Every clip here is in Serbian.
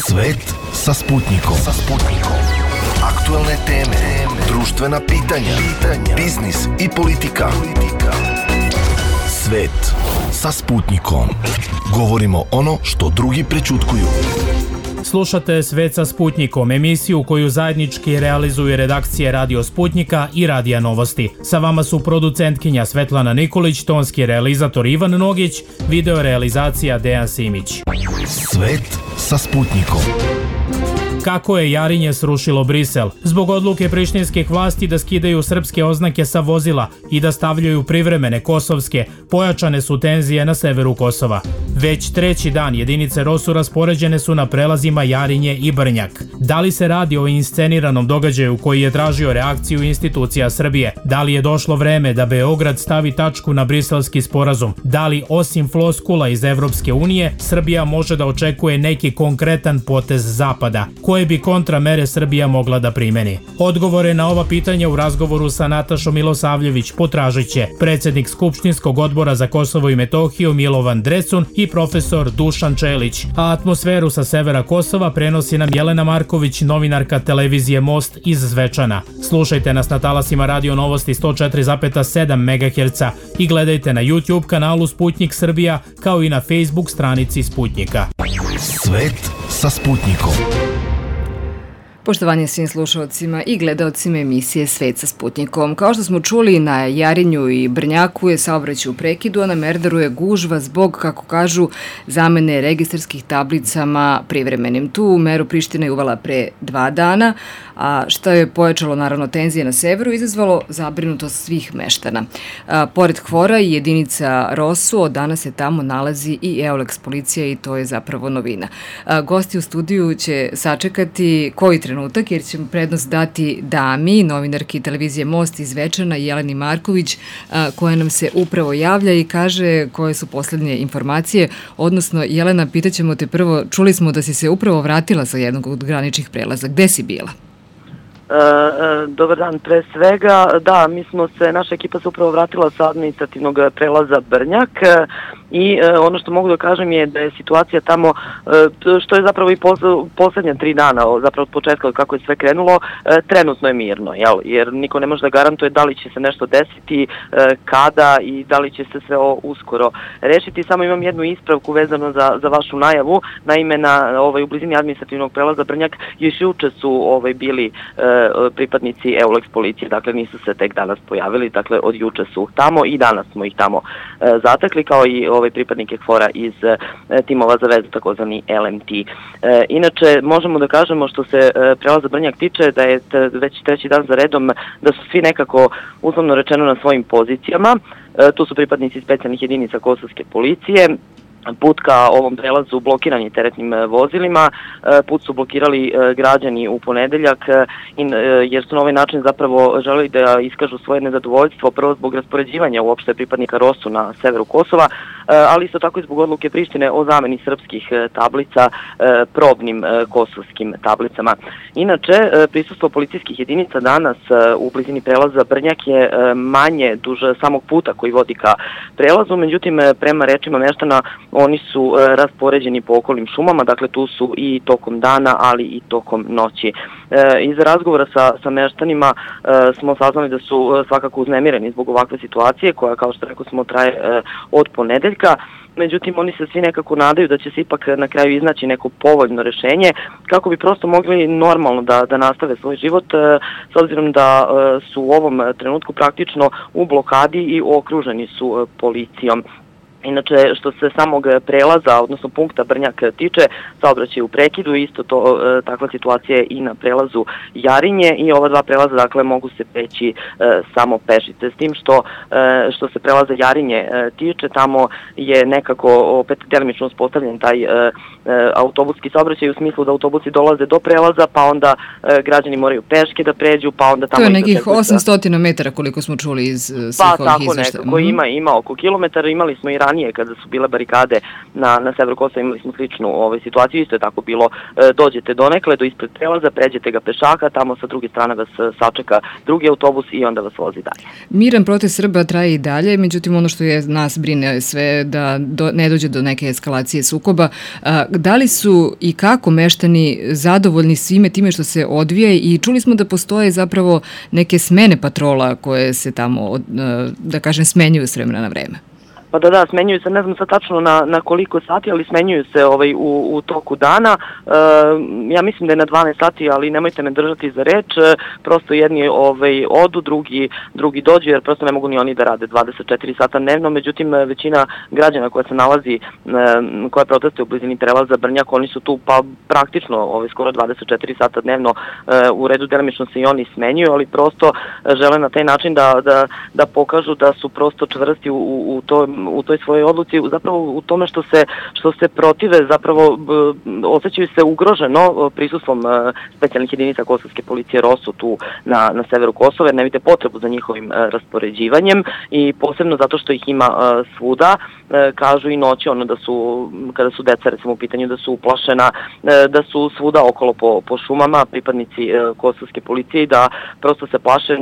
Svet sa Sputnikom. Aktuelne teme, društvena pitanja, biznis i politika. Svet sa Sputnikom. Govorimo ono što drugi prećutkuju. Slušate Svet sa Sputnikom, emisiju koju zajednički realizuju redakcije Radio Sputnika i Radija Novosti. Sa vama su producentkinja Svetlana Nikolić, tonski realizator Ivan Nogić, video realizacija Dejan Simić. Svet sa Sputnikom. Kako je Jarinje srušilo Brisel? Zbog odluke prištinskih vlasti da skidaju srpske oznake sa vozila i da stavljaju privremene kosovske, pojačane su tenzije na severu Kosova. Već treći dan jedinice ROSU raspoređene su na prelazima Jarinje i Brnjak. Da li se radi o insceniranom događaju koji je tražio reakciju institucija Srbije? Da li je došlo vreme da Beograd stavi tačku na briselski sporazum? Da li osim floskula iz Evropske unije, Srbija može da očekuje neki konkretan potez Zapada? Koje bi kontramere Srbija mogla da primeni? Odgovore na ova pitanja u razgovoru sa Natašom Milosavljević potražit će predsjednik Skupštinskog odbora za Kosovo i Metohiju Milovan Drecun i profesor Dušan Čelić. A atmosferu sa severa Kosova prenosi nam Jelena Marković, novinarka televizije Most iz Zvečana. Slušajte nas na talasima Radio Novosti 104,7 MHz i gledajte na YouTube kanalu Sputnik Srbija kao i na Facebook stranici Sputnika. Svet sa Sputnikom. Poštovanje svim slušalcima i gledaocima emisije Svet sa Sputnikom. Kao što smo čuli, na Jarinju i Brnjaku je saobraćaj u prekidu, a na Merdaru je gužva zbog, kako kažu, zamene registarskih tablicama privremenim. Tu meru Priština je uvela pre 2 dana, a što je pojačalo naravno tenzije na severu, izazvalo zabrinutost svih meštana. Pored Hvora i jedinica ROSU, od danas se tamo nalazi i EOLEX policija i to je zapravo novina. Gosti u studiju će sačekati koji trenutak, jer ćemo prednost dati dami, novinarki televizije Most iz Zvečana, Jeleni Marković, koja nam se upravo javlja i kaže koje su poslednje informacije. Odnosno, Jelena, pitaćemo te prvo, čuli smo da si se upravo vratila sa jednog od graničnih prelaza. Gde si bila? Dobar dan, pre svega, da, naša ekipa se upravo vratila sa administrativnog prelaza Brnjak i ono što mogu da kažem je da je situacija tamo, što je zapravo i poslednja 3 dana, zapravo od početka kako je sve krenulo, trenutno je mirno, jer niko ne može da garantuje da li će se nešto desiti, kada i da li će se sve uskoro rešiti. Samo imam jednu ispravku vezano za vašu najavu. Naime, u blizini administrativnog prelaza Brnjak još juče su bili pripadnici EOLEX policije, dakle nisu se tek danas pojavili, dakle od juče su tamo i danas smo ih tamo zatekli, kao i pripadnike Hvora iz timova za vezu, takozvani LMT. Inače, možemo da kažemo što se prelaza Brnjak tiče da je već treći dan za redom da su svi nekako, uslovno rečeno, na svojim pozicijama. Tu su pripadnici specijalnih jedinica kosovske policije. Put ka ovom prelazu blokiran je teretnim vozilima, put su blokirali građani u ponedeljak jer su na ovaj način zapravo želeli da iskažu svoje nezadovoljstvo, prvo zbog raspoređivanja uopšte pripadnika ROSU na severu Kosova, ali isto tako i zbog odluke Prištine o zameni srpskih tablica probnim kosovskim tablicama. Inače, prisustvo policijskih jedinica danas u blizini prelaza Brnjak je manje duž samog puta koji vodi ka prelazu, međutim, prema rečima meštana, oni su raspoređeni po okolnim šumama, dakle tu su i tokom dana, ali i tokom noći. Iz razgovora sa meštanima smo saznali da su svakako uznemireni zbog ovakve situacije koja, kao što rekao smo, traje od ponedeljka. Međutim, oni se svi nekako nadaju da će se ipak na kraju iznaći neko povoljno rešenje kako bi prosto mogli normalno da nastave svoj život, s obzirom da su u ovom trenutku praktično u blokadi i okruženi su policijom. Inače, što se samog prelaza, odnosno punkta Brnjak tiče, saobraćaj u prekidu, isto to takva situacija je i na prelazu Jarinje i ova 2 prelaza, dakle, mogu se preći samo pešice. S tim što se prelaza Jarinje tiče, tamo je nekako opet delimično uspostavljen taj autobuski saobraćaj u smislu da autobusi dolaze do prelaza, pa onda građani moraju peške da pređu, pa onda tamo... To je nekih 800 metara koliko smo čuli iz svih ovih izveštaja. Pa tako nekako, ima oko kilometara, imali smo i ranije kada su bile barikade na severu Kosova, imali smo sličnu situaciju, isto je tako bilo, dođete donekle do ispred prelaza, pređete ga pešaka, tamo sa druge strane vas sačeka drugi autobus i onda vas vozi dalje. Miran protest Srba traje i dalje, međutim ono što je nas brine sve da ne dođe do neke eskalacije sukoba. Da li su i kako meštani zadovoljni svime time što se odvija i čuli smo da postoje zapravo neke smene patrola koje se tamo, da kažem, smenjuju s vremena na vreme? Pa da, smenjuju se, ne znam sad tačno na koliko sati, ali smenjuju se u toku dana. Ja mislim da je na 12 sati, ali nemojte me držati za reč. Prosto jedni odu, drugi dođu, jer prosto ne mogu ni oni da rade 24 sata dnevno. Međutim, većina građana koja se nalazi, koja protestuje u blizini prelaza Brnjak, oni su tu pa praktično skoro 24 sata dnevno. U redu delimično se i oni smenjuju, ali prosto žele na taj način da pokažu da su prosto čvrsti u toj svojoj odluci, zapravo u tome što se protive, zapravo osjećaju se ugroženo prisustvom specijalnih jedinica kosovske policije ROSU tu na severu Kosova, jer ne vide potrebu za njihovim raspoređivanjem i posebno zato što ih ima svuda, kažu i noći, kada su deca recimo u pitanju, da su uplašena, da su svuda okolo po šumama pripadnici kosovske policije i da prosto se plaše,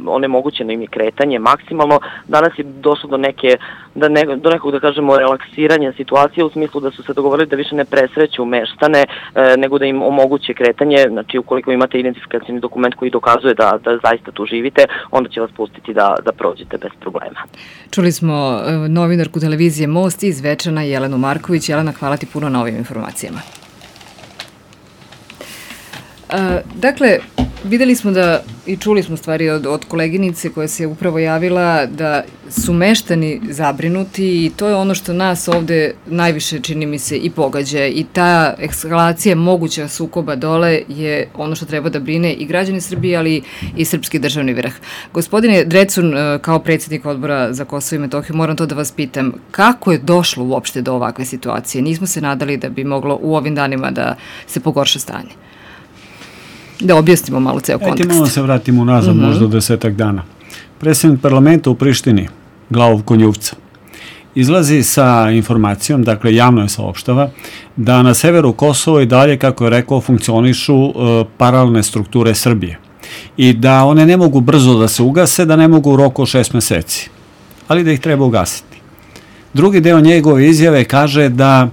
onemogućeno im je kretanje maksimalno. Danas je došlo do nekog, da kažemo, relaksiranja situacije, u smislu da su se dogovorili da više ne presreću meštane, nego da im omoguće kretanje. Znači, ukoliko imate identifikacioni dokument koji dokazuje da zaista tu živite, onda će vas pustiti da prođete bez problema. Čuli smo novinarku televizije Most iz Zvečana, Jelenu Marković. Jelena, hvala ti puno na ovim informacijama. Dakle, videli smo i čuli smo stvari od koleginice koja se upravo javila da su meštani zabrinuti i to je ono što nas ovde najviše, čini mi se, i pogađa. I ta eskalacija moguća sukoba dole je ono što treba da brine i građani Srbije, ali i srpski državni vrh. Gospodine Drecun, kao predsjednik Odbora za Kosovo i Metohiju, moram to da vas pitam, kako je došlo uopšte do ovakve situacije? Nismo se nadali da bi moglo u ovim danima da se pogorša stanje. Da objasnimo malo ceo kontekst. Malo se vratimo nazad, možda 10 dana. Predsjednik parlamenta u Prištini, Glavov Konjuvca, izlazi sa informacijom, dakle javno je saopštava, da na severu Kosova i dalje, kako je rekao, funkcionišu paralelne strukture Srbije i da one ne mogu brzo da se ugase, da ne mogu u roku 6 meseci, ali da ih treba ugasiti. Drugi deo njegove izjave kaže da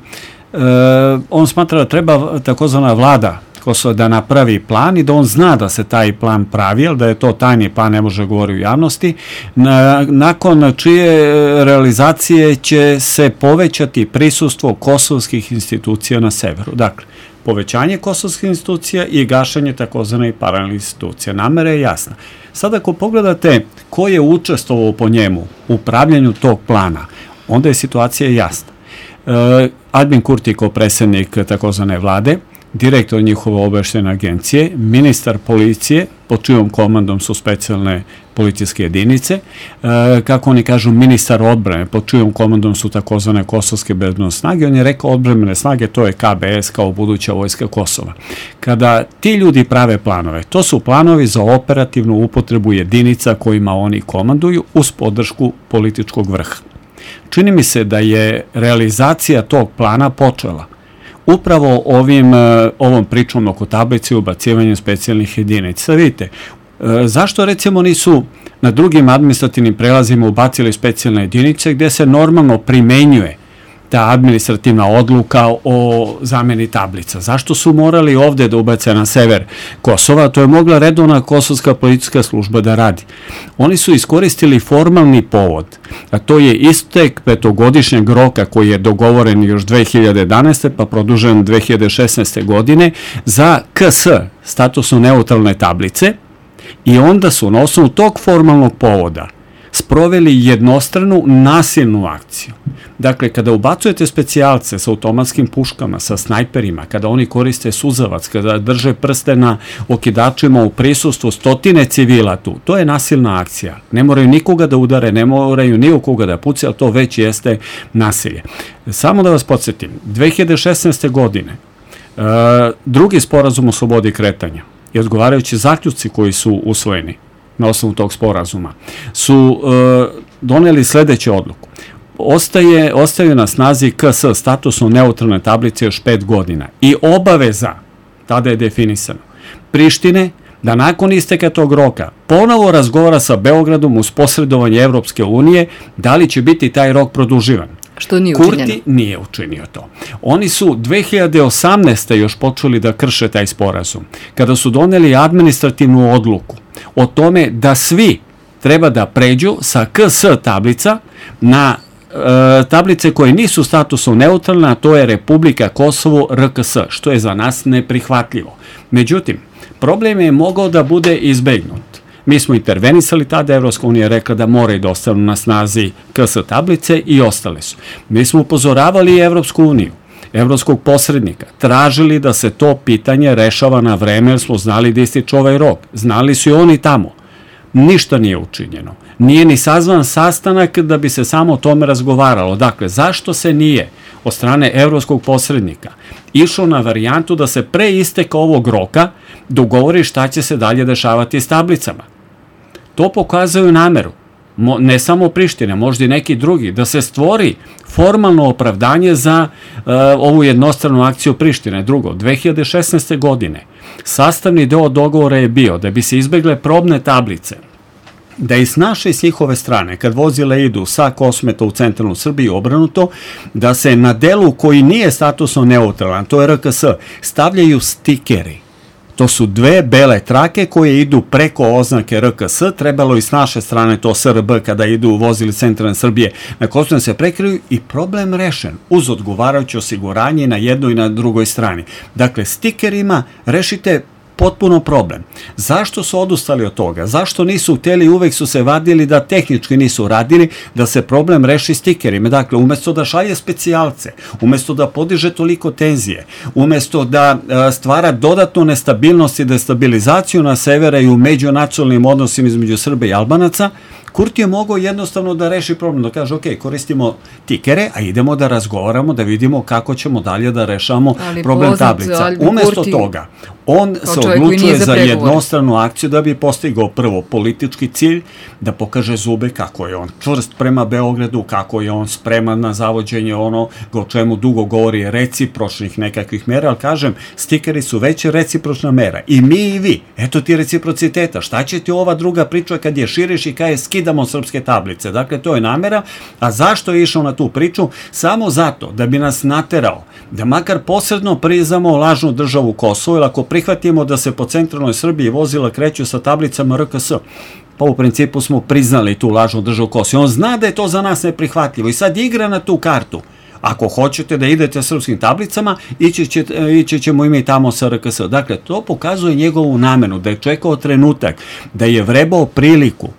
on smatra da treba takozvana vlada Kosova da napravi plan i da on zna da se taj plan pravi, ali da je to tajni plan, ne može govoriti u javnosti, nakon čije realizacije će se povećati prisustvo kosovskih institucija na severu. Dakle, povećanje kosovskih institucija i gašenje takozvanih paralelnih institucija. Namera je jasna. Sad ako pogledate ko je učestvovao po njemu u pravljenju tog plana, onda je situacija jasna. Albin Kurti kao predsjednik takozvane vlade, direktor njihove obavještajne agencije, ministar policije, pod čijom komandom su specijalne policijske jedinice, kako oni kažu ministar odbrane, pod čijom komandom su takozvane kosovske bezbednosne snage. On je rekao odbrambene snage, to je KBS kao buduća vojska Kosova. Kada ti ljudi prave planove, to su planovi za operativnu upotrebu jedinica kojima oni komanduju uz podršku političkog vrha. Čini mi se da je realizacija tog plana počela upravo ovom pričom oko tablice i ubacivanjem specijalnih jedinica. Vidite, zašto recimo nisu na drugim administrativnim prelazima ubacili specijalne jedinice gde se normalno primenjuje ta administrativna odluka o zameni tablica? Zašto su morali ovde da ubace na sever Kosova? To je mogla redovna kosovska policijska služba da radi. Oni su iskoristili formalni povod, a to je istek 5-godišnjeg roka koji je dogovoren još 2011. pa produžen 2016. godine za KS, statusno neutralne tablice, i onda su na osnovu tog formalnog povoda sproveli jednostranu nasilnu akciju. Dakle, kada ubacujete specijalce sa automatskim puškama, sa snajperima, kada oni koriste suzavac, kada drže prste na okidačima u prisustvu stotine civila tu, to je nasilna akcija. Ne moraju nikoga da udare, ne moraju ni u koga da puce, ali to već jeste nasilje. Samo da vas podsjetim, 2016. godine drugi sporazum o slobodi kretanja i odgovarajući zaključci koji su usvojeni na osnovu tog sporazuma su doneli sledeću odluku. ostaju na snazi KS, statusno neutralne tablice, još 5 godina. I obaveza, tada je definisano, Prištine, da nakon isteka tog roka ponovo razgovara sa Beogradom uz posredovanje Evropske unije da li će biti taj rok produživan. Što nije učinjeno? Kurti nije učinio to. Oni su 2018. još počeli da krše taj sporazum, kada su doneli administrativnu odluku o tome da svi treba da pređu sa KS tablica na tablice koje nisu statusno neutralne, a to je Republika Kosovo, RKS, što je za nas neprihvatljivo. Međutim, problem je mogao da bude izbegnut. Mi smo intervenisali tada, Evropska unija rekla da moraju da ostanu na snazi KS tablice i ostale su. Mi smo upozoravali i Evropsku uniju, evropskog posrednika, tražili da se to pitanje rešava na vreme, jer smo znali da ističe ovaj rok. Znali su i oni tamo. Ništa nije učinjeno. Nije ni sazvan sastanak da bi se samo o tome razgovaralo. Dakle, zašto se nije od strane evropskog posrednika išlo na varijantu da se pre isteka ovog roka dogovori šta će se dalje dešavati s tablicama? To pokazuju nameru, ne samo Prištine, možda i neki drugi, da se stvori formalno opravdanje za ovu jednostranu akciju Prištine. Drugo, 2016. godine sastavni deo dogovora je bio da bi se izbegle probne tablice, da i s naše i s njihove strane, kad vozila idu sa Kosmeta u centralnu Srbiju obranuto, da se na delu koji nije statusno neutralan, to je RKS, stavljaju stikeri. To su dve bele trake koje idu preko oznake RKS, trebalo i s naše strane to SRB kada idu vozili centralne Srbije na Kosovo se prekriju i problem rešen uz odgovarajuće osiguranje na jednoj i na drugoj strani. Dakle, stikerima rešite potpuno problem. Zašto su odustali od toga? Zašto nisu hteli, uvek su se vadili da tehnički nisu radili, da se problem reši stikerima? Dakle, umesto da šalje specijalce, umesto da podiže toliko tenzije, umesto da stvara dodatnu nestabilnost i destabilizaciju na severa i u međunacionalnim odnosima između Srba i Albanaca, Kurti je mogao jednostavno da reši problem, da kaže, ok, koristimo tikere, a idemo da razgovaramo, da vidimo kako ćemo dalje da rešamo problem tablica. Umesto toga, on se odlučuje za jednostranu akciju da bi postigao prvo politički cilj, da pokaže zube kako je on čvrst prema Beogradu, kako je on spreman na zavođenje ono o čemu dugo govori recipročnih nekakvih mera, ali kažem, stikeri su već recipročna mera. I mi i vi, eto ti reciprociteta, šta će ti ova druga priča kad je širiš i kad je skidamo srpske tablice? Dakle, to je namera. A zašto je išao na tu priču? Samo zato da bi nas naterao da makar posredno priznamo lažnu državu Kosovo, ili ako prihvatimo da se po centralnoj Srbiji vozila kreću sa tablicama RKS, pa u principu smo priznali tu lažnu državu Kosovo. On zna da je to za nas neprihvatljivo i sad igra na tu kartu. Ako hoćete da idete srpskim tablicama, ići ćemo i mi tamo sa RKS. Dakle, to pokazuje njegovu namenu, da je čekao trenutak, da je vrebao priliku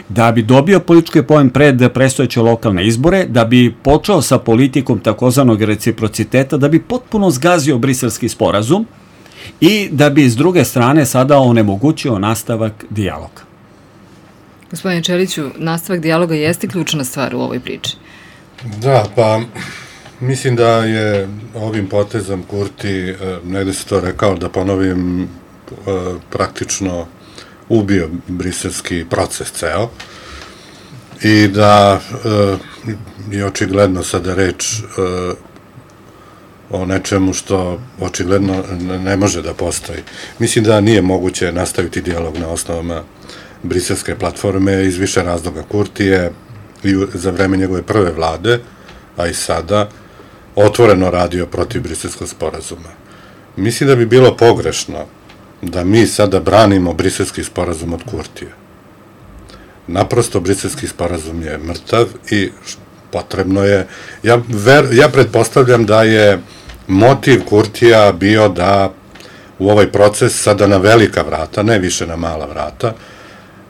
da bi dobio politički poen pred predstojeće lokalne izbore, da bi počeo sa politikom takozvanog reciprociteta, da bi potpuno zgazio briselski sporazum i da bi s druge strane sada onemogućio nastavak dijaloga. Gospodine Čeliću, nastavak dijaloga jeste ključna stvar u ovoj priči. Da, pa mislim da je ovim potezom Kurti, negde se to rekao, da ponovim, praktično ubio briselski proces ceo i da je očigledno sada reč o nečemu što očigledno ne može da postoji. Mislim da nije moguće nastaviti dijalog na osnovama briselske platforme iz više razloga. Kurti je i za vreme njegove prve vlade, a i sada, otvoreno radio protiv briselskog sporazuma. Mislim da bi bilo pogrešno da mi sada branimo briselski sporazum od Kurtija. Naprosto, briselski sporazum je mrtav i potrebno je, ja pretpostavljam da je motiv Kurtija bio da u ovaj proces sada na velika vrata, ne više na mala vrata,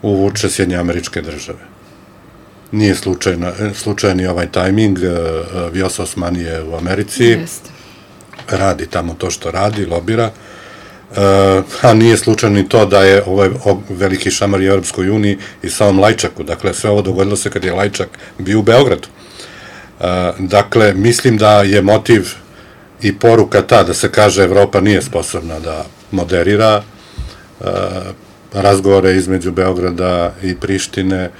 uvuče Sjedinjene Američke Države. Nije slučajan i ovaj tajming, Vjosa Osmani je u Americi, radi tamo to što radi, lobira, a nije slučajno ni to da je ovaj veliki šamar u Europskoj uniji i samom Lajčaku. Dakle, sve ovo dogodilo se kad je Lajčak bio u Beogradu. Dakle, mislim da je motiv i poruka ta da se kaže Evropa nije sposobna da moderira razgovore između Beograda i Prištine,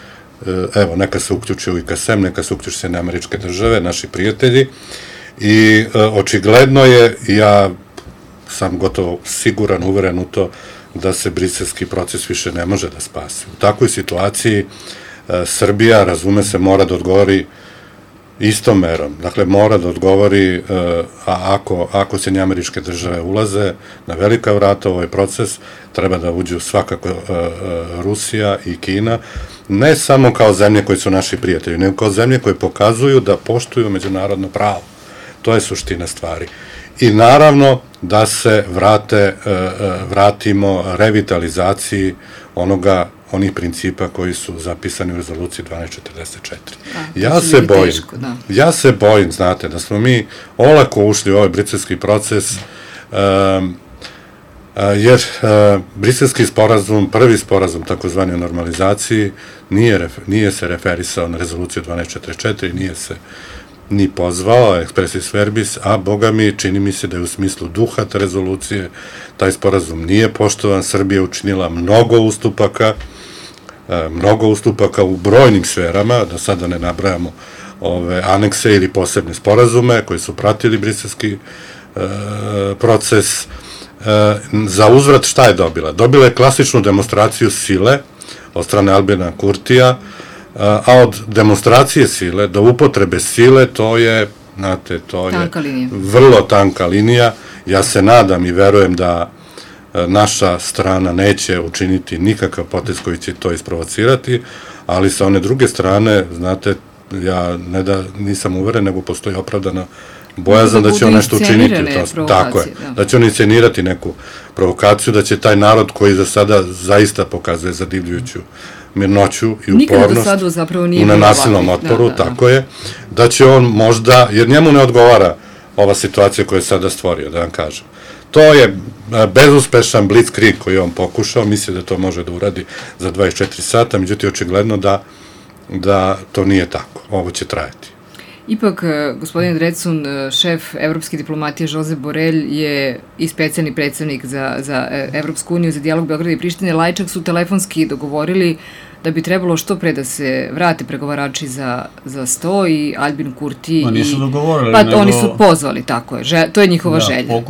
evo, neka se uključi u IKSM, neka se uključi Sjedinjene Američke Države, naši prijatelji, i očigledno je, ja sam gotovo siguran, uveren u to, da se briselski proces više ne može da spasi. U takvoj situaciji Srbija, razume se, mora da odgovori istom merom. Dakle, mora da odgovori, ako Sjedinjene Američke Države ulaze na velika vrata u ovaj proces, treba da uđu svakako Rusija i Kina, ne samo kao zemlje koji su naši prijatelji, nego kao zemlje koje pokazuju da poštuju međunarodno pravo. To je suština stvari. I naravno da se vratimo revitalizaciji onih principa koji su zapisani u rezoluciji 1244. Ja se bojim, znate, da smo mi olako ušli u ovaj briselski proces, jer briselski sporazum, prvi sporazum takozvani o normalizaciji, nije se referisao na rezoluciju 1244, nije se ni pozvao, expressis verbis, a boga mi, čini mi se da je u smislu duha te rezolucije, taj sporazum nije poštovan, Srbija učinila mnogo ustupaka u brojnim sferama, da sada ne nabrajamo ove anekse ili posebne sporazume koji su pratili briselski proces. Za uzvrat šta je dobila? Dobila je klasičnu demonstraciju sile od strane Albina Kurtija, a od demonstracije sile do upotrebe sile, to je, znate, to je vrlo tanka linija. Ja se nadam i verujem da naša strana neće učiniti nikakav potez koji će to isprovocirati, ali sa one druge strane, znate, ja ne da nisam uveren, nego postoji opravdana bojazan da će on nešto učiniti. Tako je, da će on inscenirati neku provokaciju, da će taj narod koji za sada zaista pokazuje zadivljujuću mirnoću i upornost u nenasilnom otporu, tako je, da će on možda, jer njemu ne odgovara ova situacija koju je sada stvorio, da vam kažem. To je bezuspešan blitzkrieg koji je on pokušao, misli da to može da uradi za 24 sata, međutim, očigledno da to nije tako, ovo će trajati. Ipak, gospodin Drecun, šef evropske diplomatije Josep Borrell je i specijalni predstavnik za Evropsku uniju za dijalog Beograda i Prištine. Lajčak su telefonski dogovorili da bi trebalo što pre da se vrate pregovarači za sto i Albin Kurti. Ma nisu dogovorili. Pa oni su pozvali, tako je. To je njihova želja.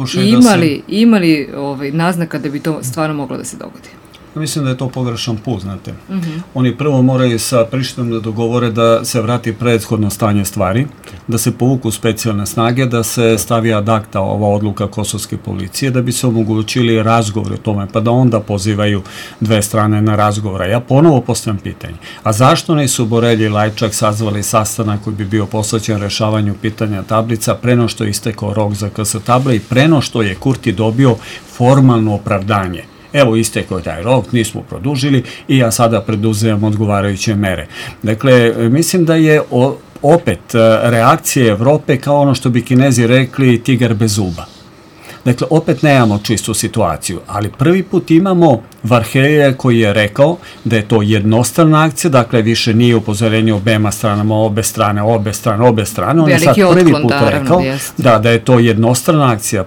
I imali naznaka da bi to stvarno moglo da se dogodi? Mislim da je to pogrešan put, znate. Oni prvo moraju sa Prištinom da dogovore da se vrati prethodno stanje stvari, da se povuku specijalne snage, da se stavi ad acta ova odluka kosovske policije, da bi se omogućili razgovori o tome, pa da onda pozivaju dve strane na razgovora. Ja ponovo postavljam pitanje, a zašto nisu Borrell i Lajčak sazvali sastanak koji bi bio posvećen rešavanju pitanja tablica preno što je istekao rok za KS table i preno što je Kurti dobio formalno opravdanje? Evo, istekao je taj rok, nismo produžili i ja sada preduzimam odgovarajuće mere. Dakle, mislim da je opet reakcija Evrope kao ono što bi Kinezi rekli tigar bez zuba. Dakle, opet nemamo čistu situaciju, ali prvi put imamo Varhelija koji je rekao da je to jednostrana akcija, dakle više nije upozorenje obema stranama, obe strane. On je sad prvi put rekao da je to jednostrana akcija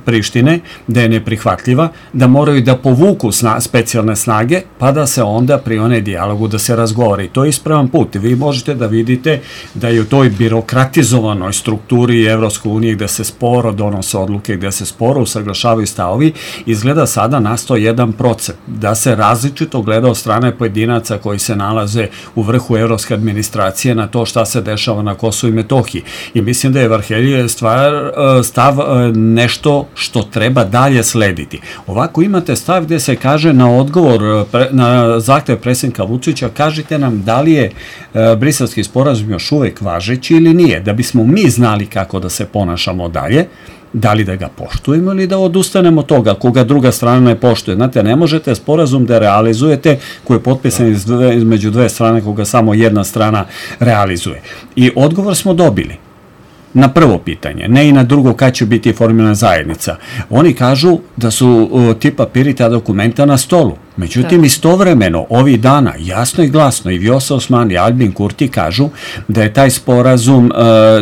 Prištine, da je neprihvatljiva, da moraju da povuku specijalne snage, pa da se onda prione dijalogu da se razgovori. To je ispravan put. Vi možete da vidite da je u toj birokratizovanoj strukturi Evropske unije gde se sporo donose odluke, gde se sporo usaglašavaju stavovi, izgleda sada nastao jedan proces da se različito gleda od strane pojedinaca koji se nalaze u vrhu evropske administracije na to šta se dešava na Kosovu i Metohiji. I mislim da je Varheljijev stav nešto što treba dalje slediti. Ovako imate stav gde se kaže na odgovor, na zahtev predsjednika Vučića, kažite nam da li je briselski sporazum još uvek važeći ili nije, da bismo mi znali kako da se ponašamo dalje, da li da ga poštujemo ili da odustanemo toga, koga druga strana ne poštuje. Znate, ne možete sporazum da realizujete koji je potpisan između dve strane koga samo jedna strana realizuje. I odgovor smo dobili. na prvo pitanje, ne i na drugo kad će biti formirana zajednica. Oni kažu da su ti papiri, ta dokumenta na stolu. Međutim, istovremeno, ovih dana, jasno i glasno, i Vjosa Osmani i Albin Kurti kažu da je taj sporazum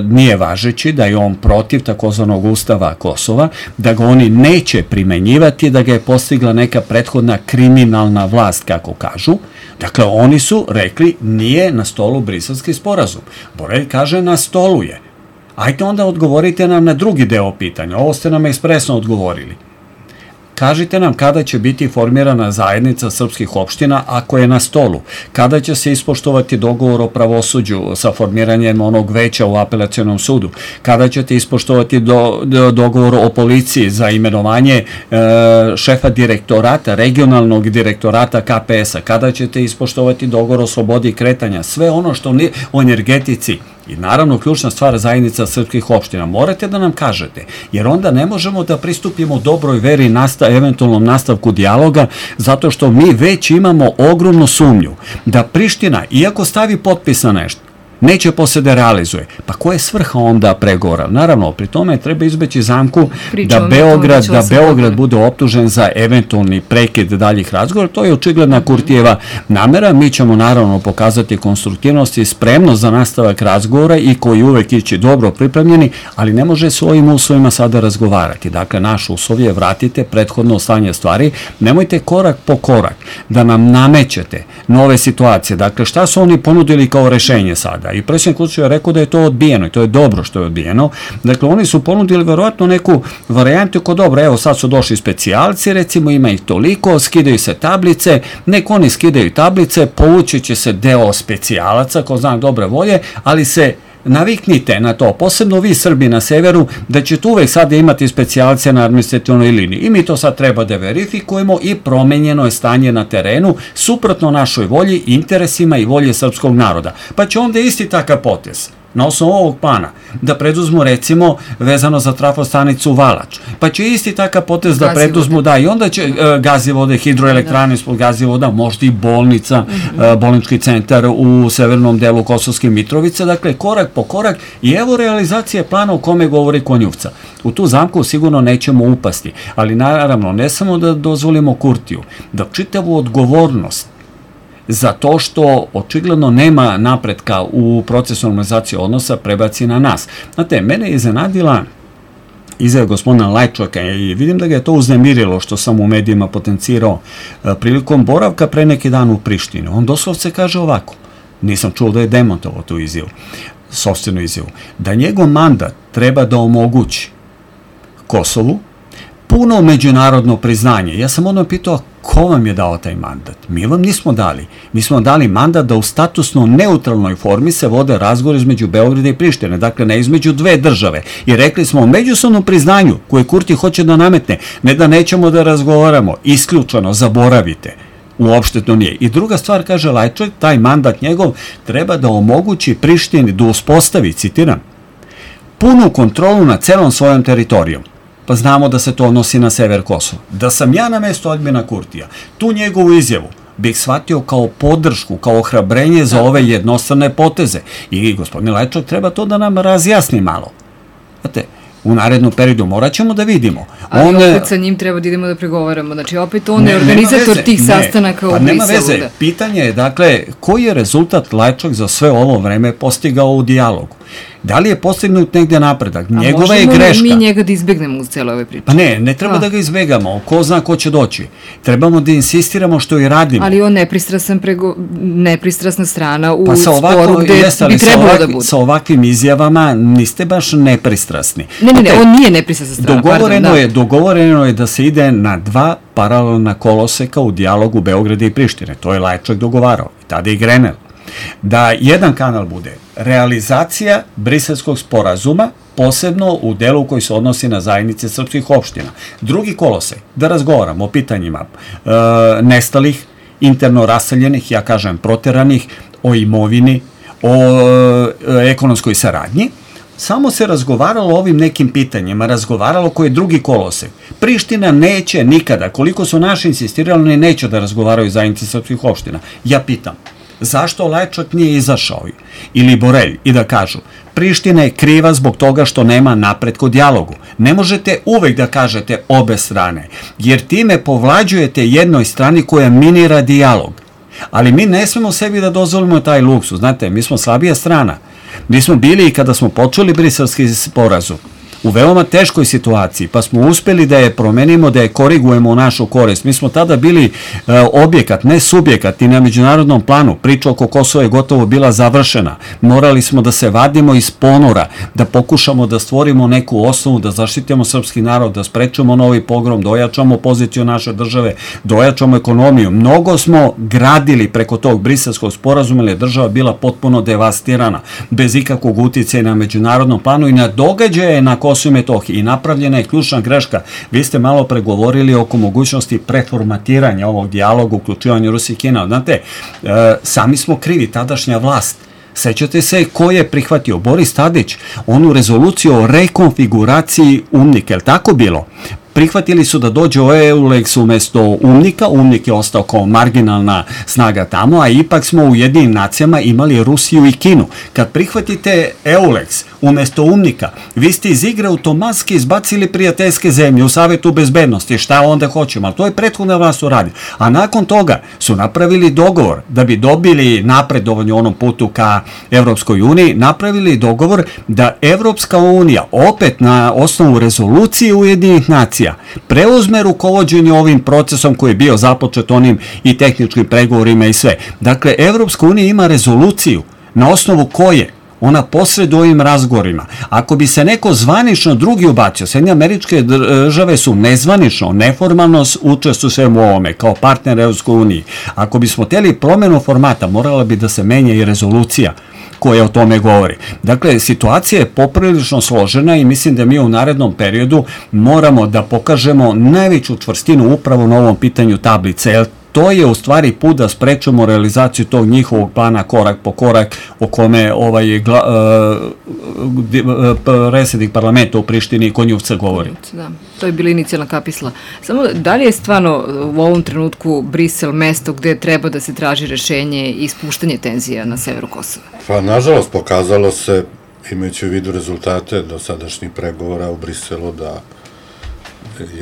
nije važeći, da je on protiv takozvanog ustava Kosova, da ga oni neće primenjivati, da ga je postigla neka prethodna kriminalna vlast, kako kažu. Dakle, oni su rekli nije na stolu briselski sporazum. Borelj kaže na stolu je. Ajde onda odgovorite nam na drugi deo pitanja. Ovo ste nam ekspresno odgovorili. Kažite nam kada će biti formirana zajednica srpskih opština ako je na stolu. Kada će se ispoštovati dogovor o pravosuđu sa formiranjem onog veća u apelacionom sudu. Kada ćete ispoštovati dogovor o policiji za imenovanje šefa direktorata, regionalnog direktorata KPS-a. Kada ćete ispoštovati dogovor o slobodi kretanja. Sve ono što o energetici. I naravno, ključna stvar zajednica srpskih opština. Morate da nam kažete, jer onda ne možemo da pristupimo dobroj veri eventualnom nastavku dijaloga, zato što mi već imamo ogromnu sumnju da Priština, iako stavi potpis na nešto, neće posle da realizuje. Pa koja je svrha onda pregovora? Naravno, pri tome treba izbeći zamku da Beograd bude optužen za eventualni prekid daljih razgovora. To je očigledna Kurtijeva namera. Mi ćemo naravno pokazati konstruktivnost i spremnost za nastavak razgovora i koji uvek ići dobro pripremljeni, ali ne može s ovim uslovima sada razgovarati. Dakle, naš uslov je vratite prethodno stanje stvari. Nemojte korak po korak da nam namećete nove situacije. Dakle, šta su oni ponudili kao rešenje sada? I predsjednik Vučić je rekao da je to odbijeno i to je dobro što je odbijeno. Dakle, oni su ponudili verovatno neku varijantu ko dobro, evo sad su došli specijalci, recimo ima ih toliko, skidaju se tablice, nek oni skidaju tablice, povući će se deo specijalaca, ko zna dobre volje, ali se naviknite na to, posebno vi Srbi na severu, da ćete uvek sada imati specijalce na administrativnoj liniji. I mi to sad treba da verifikujemo i promenjeno je stanje na terenu, suprotno našoj volji, interesima i volje srpskog naroda. Pa će onda isti takav potez na osnovu ovog plana, da preduzmu recimo vezano za trafostanicu Valač. Pa će isti takav potez da preduzmu, da, i onda će gazivode, hidroelektrane ispod gazivoda, možda i bolnica, bolnički centar u severnom delu Kosovske Mitrovice, dakle korak po korak i evo realizacije plana o kome govori Konjuvca. U tu zamku sigurno nećemo upasti, ali naravno ne samo da dozvolimo Kurtiju, da čitavu odgovornost za to što očigledno nema napretka u procesu normalizacije odnosa prebaci na nas. Znate, mene je iznenadila izjava gospodina Lajčaka i vidim da ga je to uznemirilo što sam u medijima potencirao prilikom boravka pre neki dan u Prištini. On doslovce kaže ovako, nisam čuo da je demontovao tu izjavu, sopstvenu izjavu, da njegov mandat treba da omogući Kosovu puno međunarodno priznanje. Ja sam odmah pitao, ko vam je dao taj mandat? Mi vam nismo dali. Mi smo dali mandat da u statusno neutralnoj formi se vode razgovor između Beograda i Prištine, dakle ne između dve države. I rekli smo o međusobnom priznanju koje Kurti hoće da nametne, ne da nećemo da razgovaramo, isključeno, zaboravite. Uopšte to nije. I druga stvar, kaže Lajčak, taj mandat njegov treba da omogući Prištini da uspostavi, citiram, punu kontrolu nad celom svojom teritorijom. Pa znamo da se to odnosi na sever Kosova. Da sam ja na mesto Aljbina Kurtija, tu njegovu izjavu bih shvatio kao podršku, kao ohrabrenje za ove jednostrane poteze. I gospodin Lajčak treba to da nam razjasni malo. Znate, u narednom periodu morat ćemo da vidimo. Ali opet sa njim treba da idemo da pregovaramo. Znači, opet on je organizator tih sastanaka u Briselu. Pa nema veze. Pitanje je, dakle, koji je rezultat Lajčak za sve ovo vreme postigao u dijalogu? Da li je postignut negde napredak? Njegova je greška. A možemo mi njega da izbegnemo uz celo ove priče? Pa ne treba da ga izbegamo. Ko zna ko će doći. Trebamo da insistiramo što i radimo. Ali on nepristrasna strana u sporu gde bi trebalo da bude. Sa ovakvim izjavama niste baš nepristrasni. Ne, on nije nepristrasna strana. Dogovoreno je da se ide na dva paralelna koloseka u dijalogu Beograda i Prištine. To je Lajčak dogovarao. I tada je Grenell. Da jedan kanal bude realizacija briselskog sporazuma, posebno u delu koji se odnosi na zajednice srpskih opština. Drugi kolosek, da razgovaramo o pitanjima nestalih, interno raseljenih, ja kažem proteranih, o imovini, o ekonomskoj saradnji. Samo se razgovaralo o ovim nekim pitanjima, razgovaralo koji je drugi kolosek. Priština neće nikada, koliko su naši insistirali, neće da razgovaraju zajednice srpskih opština. Ja pitam, Zašto Lajčak nije izašao ili Borelj i da kažu Priština je kriva zbog toga što nema napretka u dijalogu. Ne možete uvek da kažete obe strane, jer time povlađujete jednoj strani koja minira dijalog. Ali mi ne smemo sebi da dozvolimo taj luksuz. Znate, mi smo slabija strana. Mi smo bili i kada smo počeli Briselski sporazum u veoma teškoj situaciji, pa smo uspeli da je promenimo, da je korigujemo u našu korist. Mi smo tada bili objekat, ne subjekat i na međunarodnom planu. Priča oko Kosova je gotovo bila završena. Morali smo da se vadimo iz ponora, da pokušamo da stvorimo neku osnovu, da zaštitimo srpski narod, da sprečemo novi pogrom, da ojačamo poziciju naše države, da ojačamo ekonomiju. Mnogo smo gradili preko tog Briselskog sporazuma, jer je država bila potpuno devastirana, bez ikakvog uticaja na međunarodnom planu i na događaje na Kosovo i Metohiji. I napravljena je ključna greška. Vi ste malo pregovorili oko mogućnosti preformatiranja ovog dijaloga, uključivanja Rusije i Kine. Znate, sami smo krivi, tadašnja vlast. Sećate se ko je prihvatio? Boris Tadić, onu rezoluciju o rekonfiguraciji UNMIK, je li tako bilo? Prihvatili su da dođe o EULEX umesto UNMIK-a, UNMIK je ostao kao marginalna snaga tamo, a ipak smo u Ujedinjenim nacijama imali Rusiju i Kinu. Kad prihvatite EULEX umesto UNMIK-a, vi ste iz igre automatski izbacili prijateljske zemlje u Savetu bezbednosti, šta onda hoćemo, ali to je prethodna vlast uradi. A nakon toga su napravili dogovor da bi dobili napredovanje u onom putu ka Evropskoj uniji, napravili dogovor da Evropska unija opet na osnovu rezolucije Ujedinjenih nacija preuzme rukovođenje ovim procesom koji je bio započet onim i tehničkim pregovorima i sve. Dakle, Evropska unija ima rezoluciju na osnovu koje ona posreduje ovim razgovorima. Ako bi se neko zvanično drugi ubacio, Sjedinjene Američke Države su nezvanično, neformalno učestvuju svemu ovome, kao partner Evropskoj uniji. Ako bismo hteli promenu formata, morala bi da se menja i rezolucija koja o tome govori. Dakle, situacija je poprilično složena i mislim da mi u narednom periodu moramo da pokažemo najveću čvrstinu upravo na ovom pitanju tablice, jer to je u stvari put da sprečemo realizaciju tog njihovog plana korak po korak o kome predsjednik parlamenta u Prištini Konjuvca govori. Da, to je bila inicijalna kapisla. Samo da li je stvarno u ovom trenutku Brisel mesto gde treba da se traži rešenje i ispuštanje tenzija na severu Kosova? Pa, nažalost, pokazalo se, imajući u vidu rezultate dosadašnjih pregovora u Briselu, da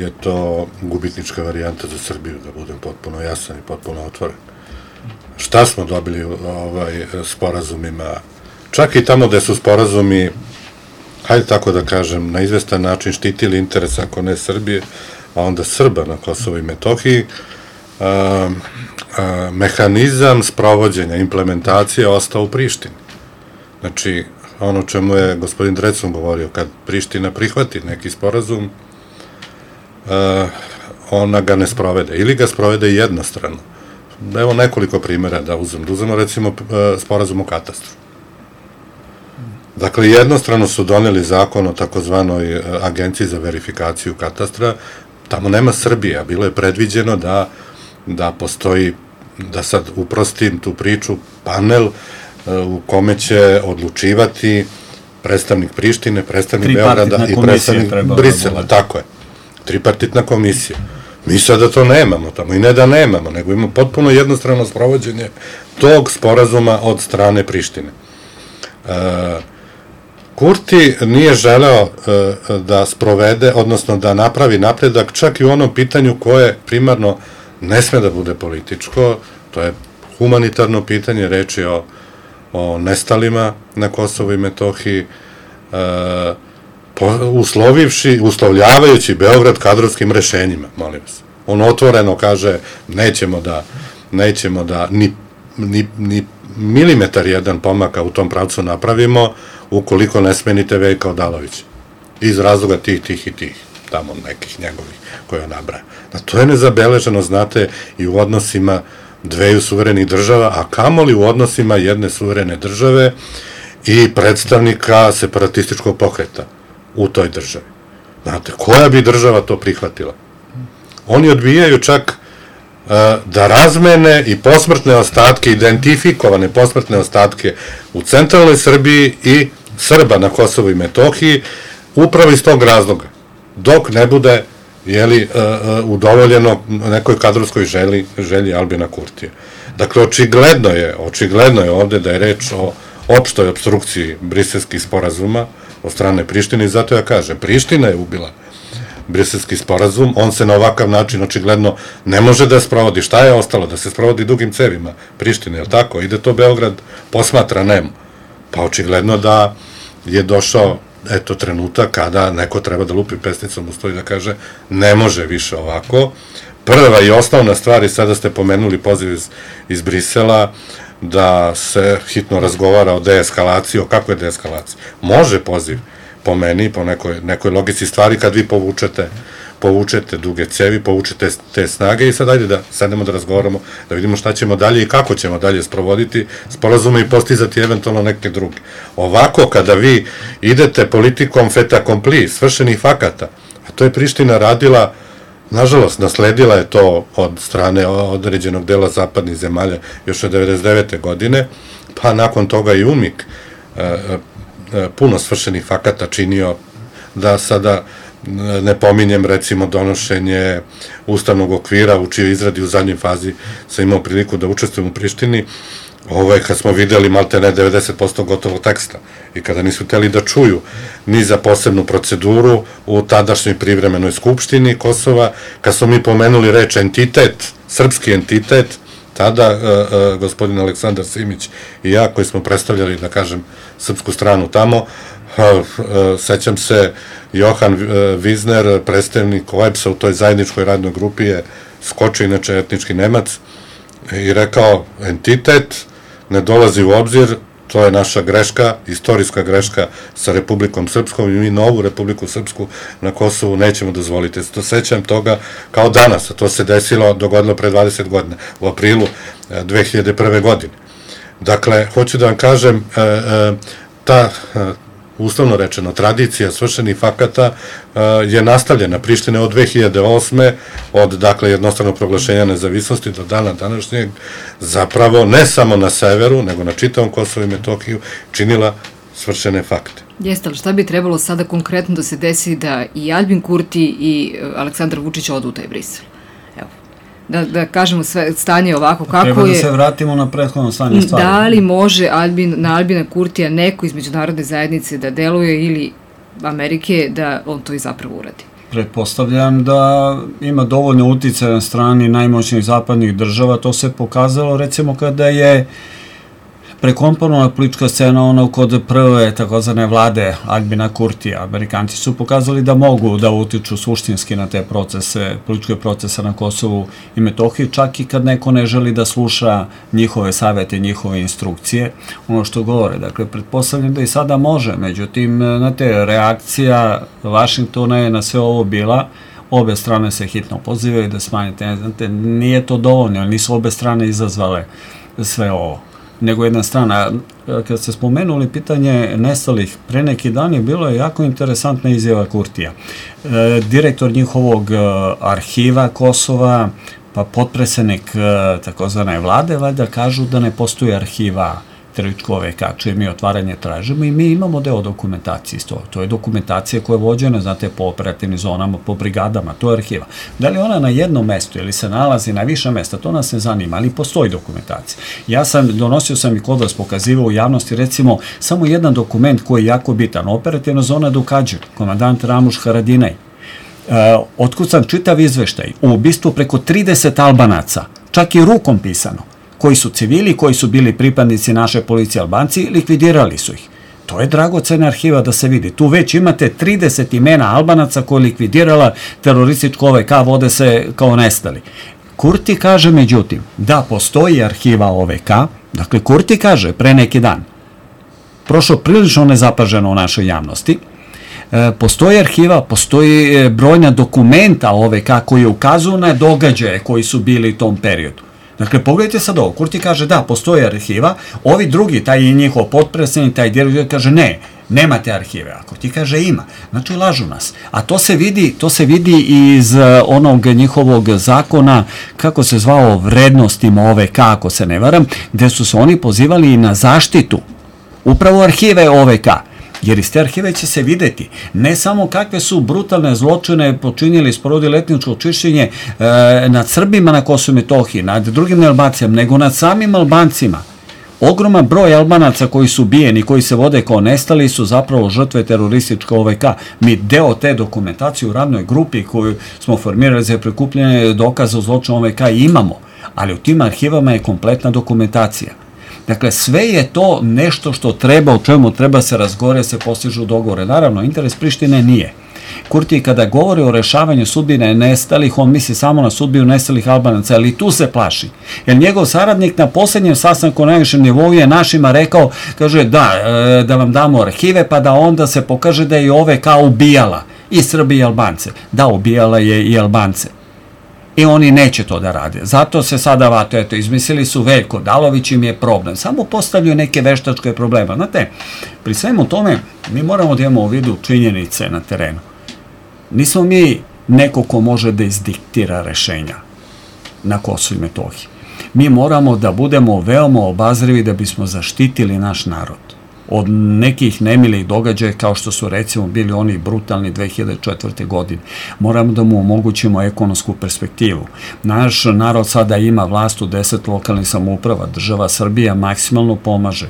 je to gubitnička varijanta za Srbiju, da budem potpuno jasan i potpuno otvoren. Šta smo dobili sporazumima? Čak i tamo gde su sporazumi, hajde tako da kažem, na izvestan način štitili interes, ako ne Srbije, a onda Srba na Kosovo i Metohiji, mehanizam sprovođenja, implementacije ostao u Prištini. Znači, ono čemu je gospodin Drecun govorio, kad Priština prihvati neki sporazum, ona ga ne sprovede, ili ga sprovede jednostrano. Evo nekoliko primjera da uzmemo recimo sporazum o katastru. Dakle, jednostrano su doneli zakon o takozvanoj agenciji za verifikaciju katastra, tamo nema Srbije, a bilo je predviđeno da postoji, da sad uprostim tu priču, panel u kome će odlučivati predstavnik Prištine, predstavnik Beograda i predstavnik Brisela, tako je. Tripartitna komisija. Mi sada to nemamo tamo, i ne da nemamo, nego imamo potpuno jednostrano sprovođenje tog sporazuma od strane Prištine. Kurti nije želeo da sprovede, odnosno da napravi napredak čak i u onom pitanju koje primarno ne sme da bude političko, to je humanitarno pitanje, reč je o nestalima na Kosovu i Metohiji, uslovljavajući Beograd kadrovskim rešenjima, molim vas. On otvoreno kaže, nećemo da ni milimetar jedan pomaka u tom pravcu napravimo, ukoliko ne smenite Veljka Odalovića. Iz razloga tih i tih, tamo nekih njegovih koje on nabraja. To je nezabeleženo, znate, i u odnosima dveju suverenih država, a kamoli u odnosima jedne suverene države i predstavnika separatističkog pokreta u toj državi. Znate, koja bi država to prihvatila? Oni odbijaju čak da razmene i posmrtne ostatke, identifikovane posmrtne ostatke u centralnoj Srbiji i Srba na Kosovu i Metohiji, upravo iz tog razloga, dok ne bude udovoljeno nekoj kadrovskoj želji Albina Kurtija. Dakle, očigledno je ovde da je reč o opštoj obstrukciji briselskih sporazuma od strane Prištine i zato ja kažem, Priština je ubila briselski sporazum, on se na ovakav način očigledno ne može da sprovodi. Šta je ostalo? Da se sprovodi dugim cevima Prištine, je li tako? Ide to Beograd, posmatra nemo. Pa očigledno da je došao trenutak kada neko treba da lupi pesnicom u sto i da kaže ne može više ovako. Prva i osnovna stvar, i sada ste pomenuli poziv iz Brisela, da se hitno razgovara o deeskalaciji. O kakvoj deeskalaciji? Može poziv, po meni, po nekoj logici stvari, kad vi povučete duge cevi, povučete te snage i sad ajde da sednemo da razgovaramo, da vidimo šta ćemo dalje i kako ćemo dalje sprovoditi sporazume i postizati eventualno neke druge. Ovako, kada vi idete politikom fait accompli, svršenih fakata, a to je Priština radila, nažalost, nasledila je to od strane određenog dela zapadnih zemalja još od 1999. godine, pa nakon toga i UMIK puno svršenih fakata činio, da sada ne pominjem recimo donošenje ustavnog okvira u čijoj izradi u zadnjoj fazi sam imao priliku da učestvujem u Prištini, kad smo videli maltene 90% gotovog teksta i kada nisu hteli da čuju ni za posebnu proceduru u tadašnjoj privremenoj skupštini Kosova, kad smo mi pomenuli reč entitet, srpski entitet, tada gospodin Aleksandar Simić i ja koji smo predstavljali, da kažem, srpsku stranu tamo, sećam se, Johan Vizner, predstavnik OEBS-a u toj zajedničkoj radnoj grupi je skočio, inače etnički Nemac, i rekao, entitet ne dolazi u obzir, to je naša greška, istorijska greška sa Republikom Srpskom i mi novu Republiku Srpsku na Kosovu nećemo dozvoliti. To sećam toga kao danas, a to se dogodilo pre 20 godina, u aprilu 2001. godine. Dakle, hoću da vam kažem, ta uslovno rečeno, tradicija svršenih fakata je nastavljena. Priština od 2008. od, dakle, jednostavnog proglašenja nezavisnosti do dana današnjeg, zapravo ne samo na severu, nego na čitavom Kosovu i Metohiju činila svršene fakte. Jeste, ali šta bi trebalo sada konkretno da se desi da i Albin Kurti i Aleksandar Vučić odu u taj Brisel? Evo, da kažemo sve stanje ovako kako je. Treba da se vratimo na prethodno stanje stvari. Da li može na Albina Kurtija neko iz međunarodne zajednice da deluje ili Amerike da on to i zapravo uradi? Pretpostavljam da ima dovoljno uticaja na strani najmoćnijih zapadnih država. To se pokazalo recimo kada je prekomponovana politička scena kod prve takozvane vlade Albina Kurtija. Amerikanci su pokazali da mogu da utiču suštinski na te procese, političke procese na Kosovu i Metohiji, čak i kad neko ne želi da sluša njihove savete, njihove instrukcije, ono što govore. Dakle, pretpostavljam da i sada može, međutim, znate, reakcija Vašingtona je na sve ovo bila, obe strane se hitno pozivaju da smanjite, znate, nije to dovoljno, nisu obe strane izazvale sve ovo, nego jedna strana. Kad ste spomenuli pitanje nestalih, pre neki dan je bilo jako interesantna izjava Kurtija. Direktor njihovog arhiva Kosova, pa potpredsednik takozvane vlade, valjda kažu da ne postoji arhiva terorističkog OVK, čije mi otvaranje tražimo i mi imamo deo dokumentacije iz toga. To je dokumentacija koja je vođena, znate, po operativnim zonama, po brigadama, to je arhiva. Da li ona na jednom mestu ili se nalazi na više mesta, to nas ne zanima, ali postoji dokumentacija. Donosio sam i kod vas pokazivao u javnosti, recimo, samo jedan dokument koji je jako bitan, operativna zona Dukađir, komandant Ramuš Haradinaj. Otkucan čitav izveštaj u ubistvu preko 30 Albanaca, čak i rukom pisano, koji su civili, koji su bili pripadnici naše policije Albanci, likvidirali su ih. To je dragocena arhiva da se vidi. Tu već imate 30 imena Albanaca koje je likvidirala terorističko OVK, vode se kao nestali. Kurti kaže, međutim, da postoji arhiva OVK, dakle, Kurti kaže pre neki dan, prošlo prilično nezapaženo u našoj javnosti, postoji arhiva, postoji brojna dokumenta OVK koji ukazuju na događaje koji su bili u tom periodu. Dakle, pogledajte sad ovo, Kurti kaže da, postoji arhiva, ovi drugi, taj i njihov potpredsednik, taj direktor kaže ne, nemate arhive, a Kurti kaže ima. Znači, lažu nas. A to se vidi iz onog njihovog zakona, kako se zvao, vrednostima OVK, ako se ne varam, gde su se oni pozivali na zaštitu upravo arhive OVK. jer iz te arhive će se videti ne samo kakve su brutalne zločine počinjeli, sprovodili etničko čišćenje nad Srbima na Kosovu i Metohiji, nad drugim Albancima, nego nad samim Albancima. Ogroman broj Albanaca koji su ubijeni, koji se vode kao nestali, su zapravo žrtve terorističke OVK. Mi deo te dokumentacije u radnoj grupi koju smo formirali za prikupljanje dokaza o zločinu OVK imamo, ali u tim arhivama je kompletna dokumentacija. Dakle, sve je to nešto što treba, o čemu treba se razgovore, se postižu dogovore. Naravno, interes Prištine nije. Kurti kada govori o rešavanju sudbine nestalih, on misli samo na sudbinu nestalih Albanaca, ali tu se plaši. Jer njegov saradnik na poslednjem sastanku na najvišem nivou je našima rekao, kaže da vam damo arhive, pa da onda se pokaže da je i OVK ubijala i Srbi i Albance. Da, ubijala je i Albance. I oni neće to da rade. Zato se sada izmislili su Veljko Dalović, im je problem. Samo postavljaju neke veštačke probleme. Znate, pri svemu tome mi moramo da imamo u vidu činjenice na terenu. Nismo mi neko ko može da izdiktira rešenja na Kosovu i Metohiji. Mi moramo da budemo veoma obazrivi da bismo zaštitili naš narod od nekih nemilih događaja kao što su recimo bili oni brutalni 2004. godine. Moramo da mu omogućimo ekonomsku perspektivu. Naš narod sada ima vlast u 10 lokalnih samouprava. Država Srbija maksimalno pomaže.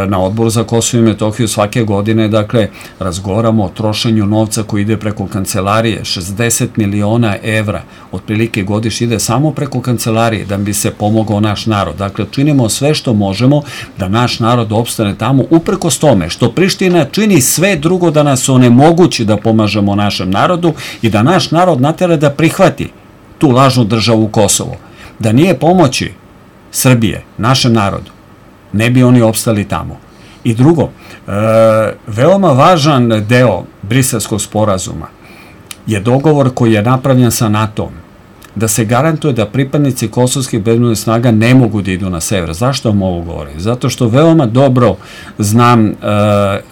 Na Odboru za Kosovo i Metohiju svake godine, dakle, razgovaramo o trošenju novca koji ide preko kancelarije. 60 miliona evra otprilike godišnje ide samo preko kancelarije da bi se pomogao naš narod. Dakle, činimo sve što možemo da naš narod opstane tamo, uprkos tome što Priština čini sve drugo da nas onemogući da pomažemo našem narodu i da naš narod natera da prihvati tu lažnu državu Kosovo. Da nije pomoći Srbije, našem narodu, ne bi oni opstali tamo. I drugo, veoma važan deo Briselskog sporazuma je dogovor koji je napravljen sa NATO-om, da se garantuje da pripadnici kosovskih bezbednosnih snaga ne mogu da idu na sever. Zašto vam ovo govorim? Zato što veoma dobro znam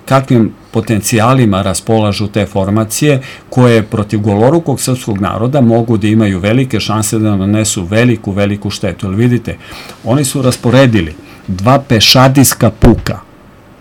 kakvim potencijalima raspolažu te formacije koje protiv golorukog srpskog naroda mogu da imaju velike šanse da nanesu veliku štetu. Jer vidite, oni su rasporedili 2 pešadijska puka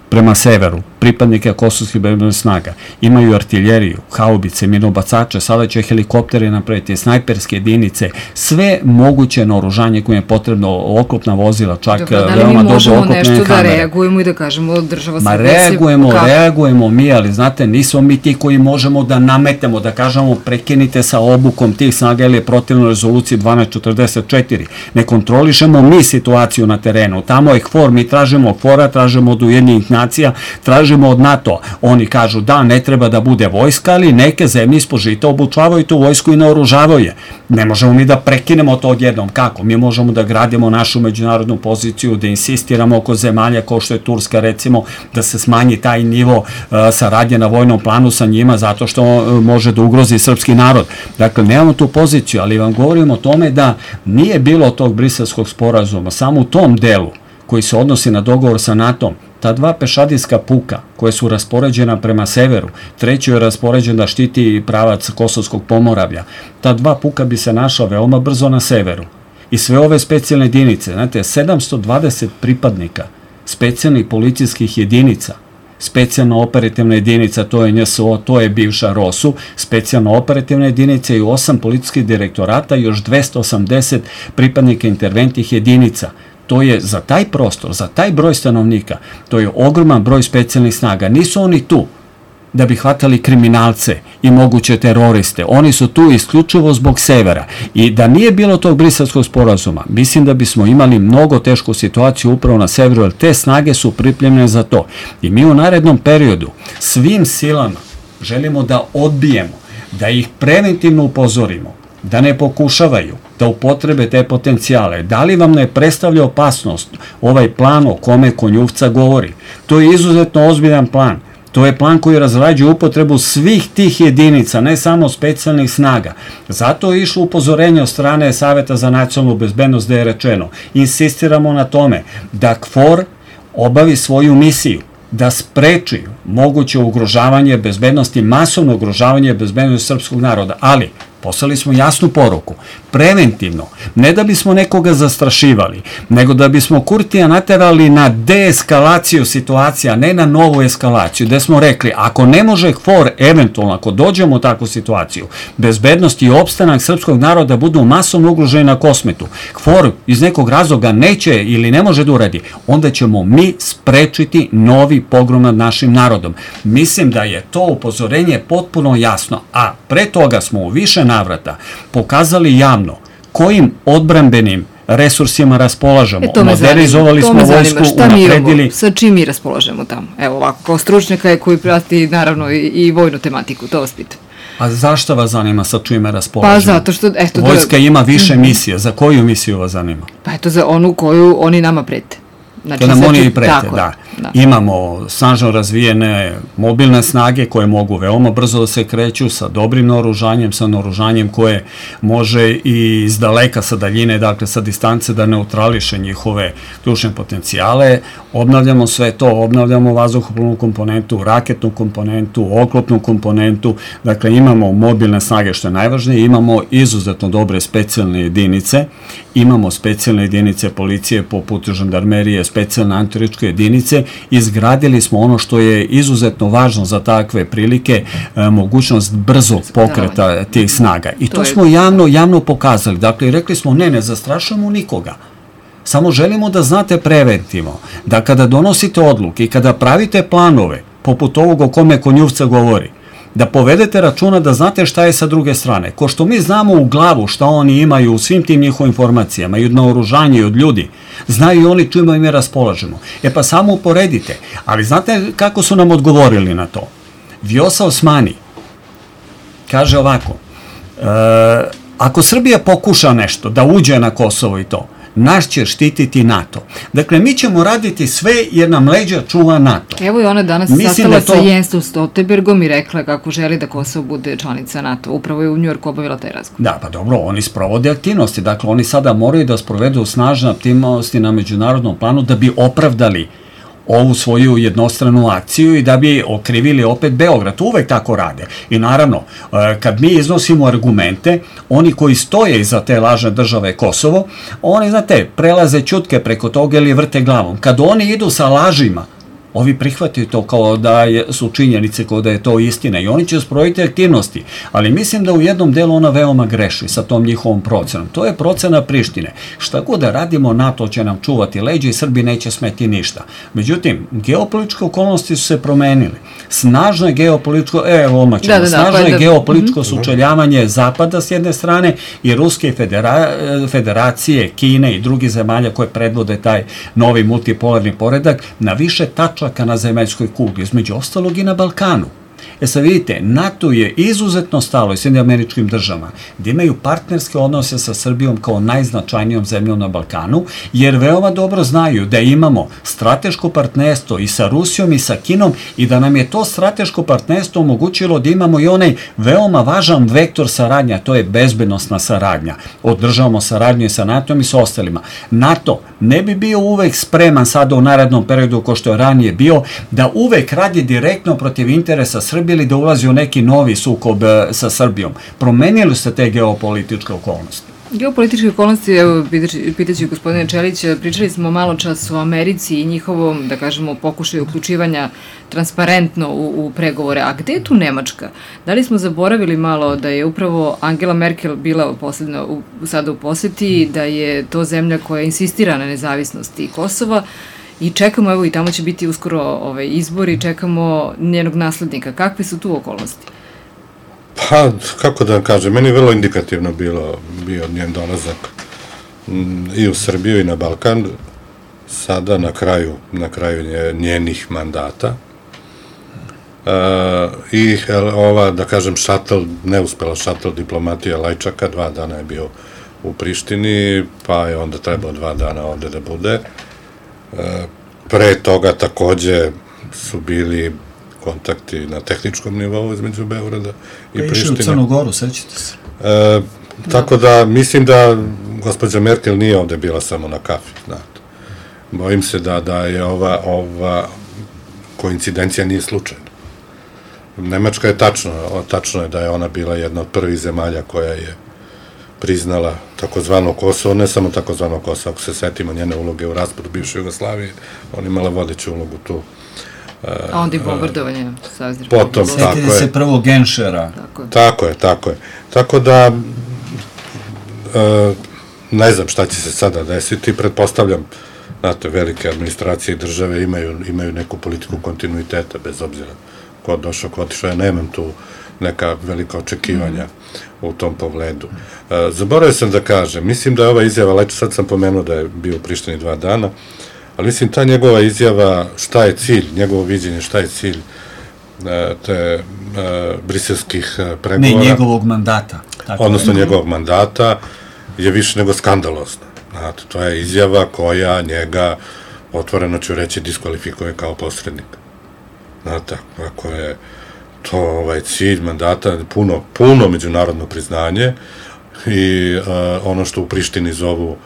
prema severu, pripadnike kosovskih bezbednosnih snaga, imaju artiljeriju, haubice, minobacače, sada će helikoptere napraviti, snajperske jedinice, sve moguće naoružanje koje je potrebno, oklopna vozila, čak veoma dobro oklopne kamere. Da li mi možemo nešto da reagujemo i da kažemo država Srbija reagujemo mi, ali znate, nismo mi ti koji možemo da nametemo, da kažemo prekinite sa obukom tih snaga ili je protivno rezoluciji 1244. Ne kontrolišemo mi situaciju na terenu, tamo je KFOR, mi tražimo KFOR-a, tražimo od Ujedinjenih nacija, tražimo od NATO. Oni kažu da ne treba da bude vojska, ali neke zemlje ispod žita obučavaju tu vojsku i naoružavaju je. Ne možemo mi da prekinemo to odjednom. Kako? Mi možemo da gradimo našu međunarodnu poziciju, da insistiramo oko zemalja kao što je Turska, recimo, da se smanji taj nivo saradnje na vojnom planu sa njima, zato što može da ugrozi srpski narod. Dakle, nemamo tu poziciju, ali vam govorim o tome da nije bilo tog Briselskog sporazuma, samo u tom delu koji se odnosi na dogovor sa NATO-om. Ta 2 pešadijska puka koje su raspoređena prema severu, treći je raspoređen da štiti pravac Kosovskog Pomoravlja. Ta 2 puka bi se našla veoma brzo na severu. I sve ove specijalne jedinice, znate, 720 pripadnika specijalnih policijskih jedinica, specijalna operativna jedinica, to je NSO, to je bivša ROSU, specijalna operativna jedinica i 8 policijskih direktorata i još 280 pripadnika interventnih jedinica. To je za taj prostor, za taj broj stanovnika, to je ogroman broj specijalnih snaga. Nisu oni tu da bi hvatali kriminalce i moguće teroriste. Oni su tu isključivo zbog severa. I da nije bilo tog Briselskog sporazuma, mislim da bismo imali mnogo tešku situaciju upravo na severu, jer te snage su pripremljene za to. I mi u narednom periodu svim silama želimo da odbijemo, da ih preventivno upozorimo, da ne pokušavaju da upotrebe te potencijale. Da li vam ne predstavlja opasnost ovaj plan o kome Konjuvca govori? To je izuzetno ozbiljan plan. To je plan koji razrađuje upotrebu svih tih jedinica, ne samo specijalnih snaga. Zato je išlo upozorenje od strane Saveta za nacionalnu bezbednost da je rečeno. Insistiramo na tome da KFOR obavi svoju misiju, da spreči moguće ugrožavanje bezbednosti, masovno ugrožavanje bezbednosti srpskog naroda. Ali Poslali smo jasnu poruku, preventivno, ne da bismo nekoga zastrašivali, nego da bismo Kurtija naterali na deeskalaciju situacija, ne na novu eskalaciju, gde smo rekli, ako ne može KFOR, eventualno, ako dođemo u takvu situaciju, bezbednost i opstanak srpskog naroda budu masovno ugroženi na Kosmetu, KFOR iz nekog razloga neće ili ne može da uradi, onda ćemo mi sprečiti novi pogrom nad našim narodom. Mislim da je to upozorenje potpuno jasno, a pre toga smo u više navrata pokazali javno kojim odbrambenim resursima raspolažemo. Modernizovali smo vojsku, unapredili. Sa čim mi raspolažemo tamo? Evo ovako, kao stručnjaka koji prati naravno i vojnu tematiku, to vas pitam. A zašto vas zanima sa čime raspolažemo? Pa zato što, eto... Vojska ima više misije. Za koju misiju vas zanima? Pa eto, za onu koju oni nama prete. Znači, to nam oni i prete, da. Imamo snažno razvijene mobilne snage koje mogu veoma brzo da se kreću sa dobrim naoružanjem, sa naoružanjem koje može i iz daleka sa daljine, dakle sa distance da neutrališe njihove ključne potencijale. Obnavljamo sve to, obnavljamo vazduhoplovnu komponentu, raketnu komponentu, oklopnu komponentu, dakle imamo mobilne snage što je najvažnije, imamo izuzetno dobre specijalne jedinice, imamo specijalne jedinice policije poput žandarmerije, specijalne antiteričke jedinice, izgradili smo ono što je izuzetno važno za takve prilike, mogućnost brzog pokreta tih snaga. I to smo javno pokazali. Dakle, rekli smo ne zastrašujemo nikoga. Samo želimo da znate preventivno, da kada donosite odluke i kada pravite planove, poput ovog o kome Konjuvca govori, da povedete računa da znate šta je sa druge strane. Ko što mi znamo u glavu šta oni imaju u svim tim njihovim informacijama, i od naoružanja i od ljudi, znaju i oni čime mi raspolažemo. Pa samo uporedite. Ali znate kako su nam odgovorili na to? Vjosa Osmani kaže ovako, ako Srbija pokuša nešto da uđe na Kosovo i to, naš će štititi NATO. Dakle, mi ćemo raditi sve jer nam leđa čuva NATO. Evo i ona danas sastala sa Jenstom Stoltenbergom i rekla kako želi da Kosovo bude članica NATO. Upravo je u Njujorku obavila taj razgovor. Da, pa dobro, oni sprovode aktivnosti. Dakle, oni sada moraju da sprovedu snažne aktivnosti na međunarodnom planu da bi opravdali ovu svoju jednostranu akciju i da bi okrivili opet Beograd. Uvek tako rade. I naravno, kad mi iznosimo argumente, oni koji stoje iza te lažne države Kosovo, oni, znate, prelaze ćutke preko toga ili vrte glavom. Kad oni idu sa lažima, ovi prihvataju to kao da su činjenice, kao da je to istina i oni će sprovoditi aktivnosti, ali mislim da u jednom delu ona veoma greši sa tom njihovom procenom. To je procena Prištine. Šta god da radimo, NATO će nam čuvati leđa i Srbi neće smeti ništa. Međutim, geopolitičke okolnosti su se promenili. Snažno je geopolitičko, geopolitičko sučeljavanje Zapada s jedne strane i Ruske federacije, Kine i drugih zemalja koje predvode taj novi multipolarni poredak na više tačaka na zemaljskoj kugli, između ostalog i na Balkanu. Sad vidite, NATO je izuzetno stalo i Sjedinjenim Američkim Državama da imaju partnerske odnose sa Srbijom kao najznačajnijom zemljom na Balkanu, jer veoma dobro znaju da imamo strateško partnerstvo i sa Rusijom i sa Kinom i da nam je to strateško partnerstvo omogućilo da imamo i onaj veoma važan vektor saradnja, to je bezbednosna saradnja. Održavamo saradnju i sa NATO-om i sa ostalima. NATO ne bi bio uvek spreman sada u narednom periodu, kao što je ranije bio, da uvek radi direktno protiv interesa Srbije ili da ulazi u neki novi sukob sa Srbijom. Promenili ste te geopolitičke okolnosti. Geopolitičke okolnosti, evo, pitaću gospodine Čelića, pričali smo malo čas o Americi i njihovom, da kažemo, pokušaju uključivanja transparentno u pregovore. A gde je tu Nemačka? Da li smo zaboravili malo da je upravo Angela Merkel bila sada u poseti, da je to zemlja koja insistira na nezavisnosti Kosova, i čekamo, evo i tamo će biti uskoro izbori, čekamo njenog naslednika. Kakve su tu okolnosti? Pa, kako da vam kažem, meni je vrlo indikativno bio njen dolazak i u Srbiju i na Balkan, sada na kraju njenih mandata. I ova, da kažem, neuspela šatl diplomatija Lajčaka, 2 dana je bio u Prištini, pa je onda trebao 2 dana ovde da bude. Pre toga takođe su bili kontakti na tehničkom nivou između Beograda i Prištine. Išli u Crnu Goru, sećate se? Tako da, mislim da gospođa Merkel nije ovde bila samo na kafi, znate. Bojim se da je ova koincidencija nije slučajna. Nemačka je tačno je da je ona bila jedna od prvih zemalja koja je priznala takozvano Kosovo, ne samo takozvano Kosovo, ako se setimo njene uloge u raspadu bivše Jugoslavije, ona imala vodeću ulogu tu. A onda i bombardovanje Savezne Potom, Sjetite se prvog Genšera. Tako je. Tako da, ne znam šta će se sada desiti, pretpostavljam, znate, velike administracije i države imaju neku politiku kontinuiteta, bez obzira ko došao, ko otišao, ja nemam tu neka velika očekivanja u tom pogledu. Zaboravio sam da kažem, mislim da je ova izjava, sad sam pomenuo da je bio u Prištini 2 dana, ali mislim ta njegova izjava, šta je cilj, njegovo viđenje, šta je cilj te briselskih pregovora. Ne, njegovog mandata. Odnosno njegovog mandata je više nego skandalozna. Znate, to je izjava koja njega, otvoreno ću reći, diskvalifikuje kao posrednika. Znate, ako je to cilj mandata, puno međunarodno priznanje i ono što u Prištini zovu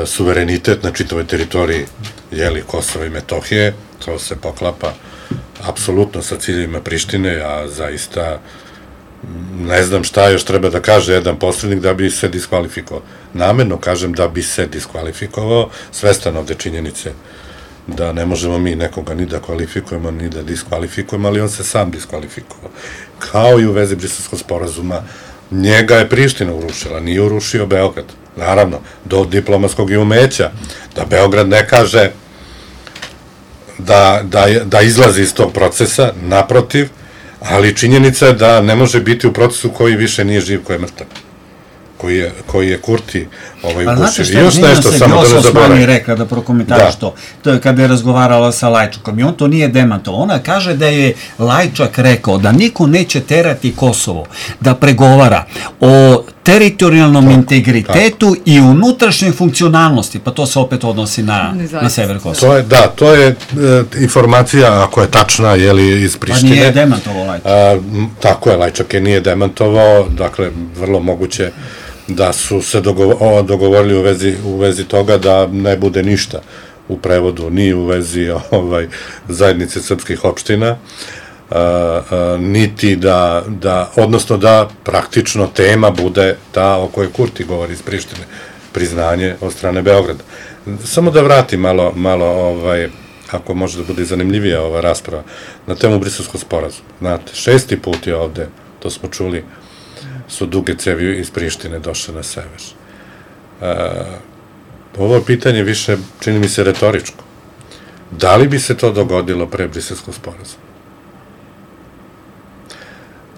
suverenitet na čitavoj teritoriji Kosova i Metohije, to se poklapa apsolutno sa ciljevima Prištine, a zaista ne znam šta još treba da kaže jedan posrednik da bi se diskvalifikovao. Namerno kažem da bi se diskvalifikovao, svestan ovde činjenice da ne možemo mi nekoga ni da kvalifikujemo, ni da diskvalifikujemo, ali on se sam diskvalifikovao. Kao i u vezi Briselskog sporazuma, njega je Priština urušila, nije urušio Beograd. Naravno, do diplomatskog i umeća, da Beograd ne kaže da izlazi iz tog procesa, naprotiv, ali činjenica je da ne može biti u procesu koji više nije živ, koji je mrtav, koji je Kurti ugušio. I još nešto, samo da ne zaboravim. Rekla da prokomentariš to. To je kada je razgovarala sa Lajčakom i on to nije demantovao. Ona kaže da je Lajčak rekao da niko neće terati Kosovo da pregovara o teritorijalnom integritetu i unutrašnjoj funkcionalnosti, pa to se opet odnosi na sever Kosova. To je informacija, ako je tačna, iz Prištine. Pa nije demantovao Lajčak. Tako je, Lajčak je nije demantovao, dakle, vrlo moguće da su se dogovorili u vezi toga da ne bude ništa u prevodu, ni u vezi zajednice srpskih opština, niti odnosno da praktično tema bude ta o kojoj Kurti govori iz Prištine, priznanje od strane Beograda. Samo da vratim malo, ako može da bude zanimljivija ova rasprava, na temu Briselskog sporazuma. Znate, 6. put je ovde, to smo čuli, su duge cevi iz Prištine došle na sever. Ovo pitanje više, čini mi se, retoričko. Da li bi se to dogodilo pre Briselskog sporazuma?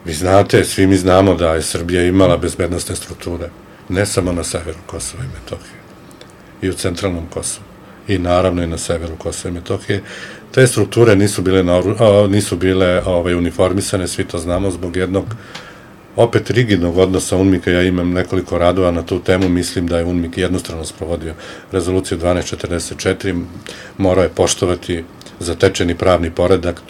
Vi znate, svi mi znamo da je Srbija imala bezbednostne strukture, ne samo na severu Kosova i Metohije, i u centralnom Kosovu, i naravno i na severu Kosova i Metohije. Te strukture nisu bile uniformisane, svi to znamo, zbog jednog opet rigidnog odnosa UNMIK-a. Ja imam nekoliko radova na tu temu, mislim da je UNMIK jednostrano sprovodio rezoluciju 1244, morao je poštovati zatečeni pravni poredak,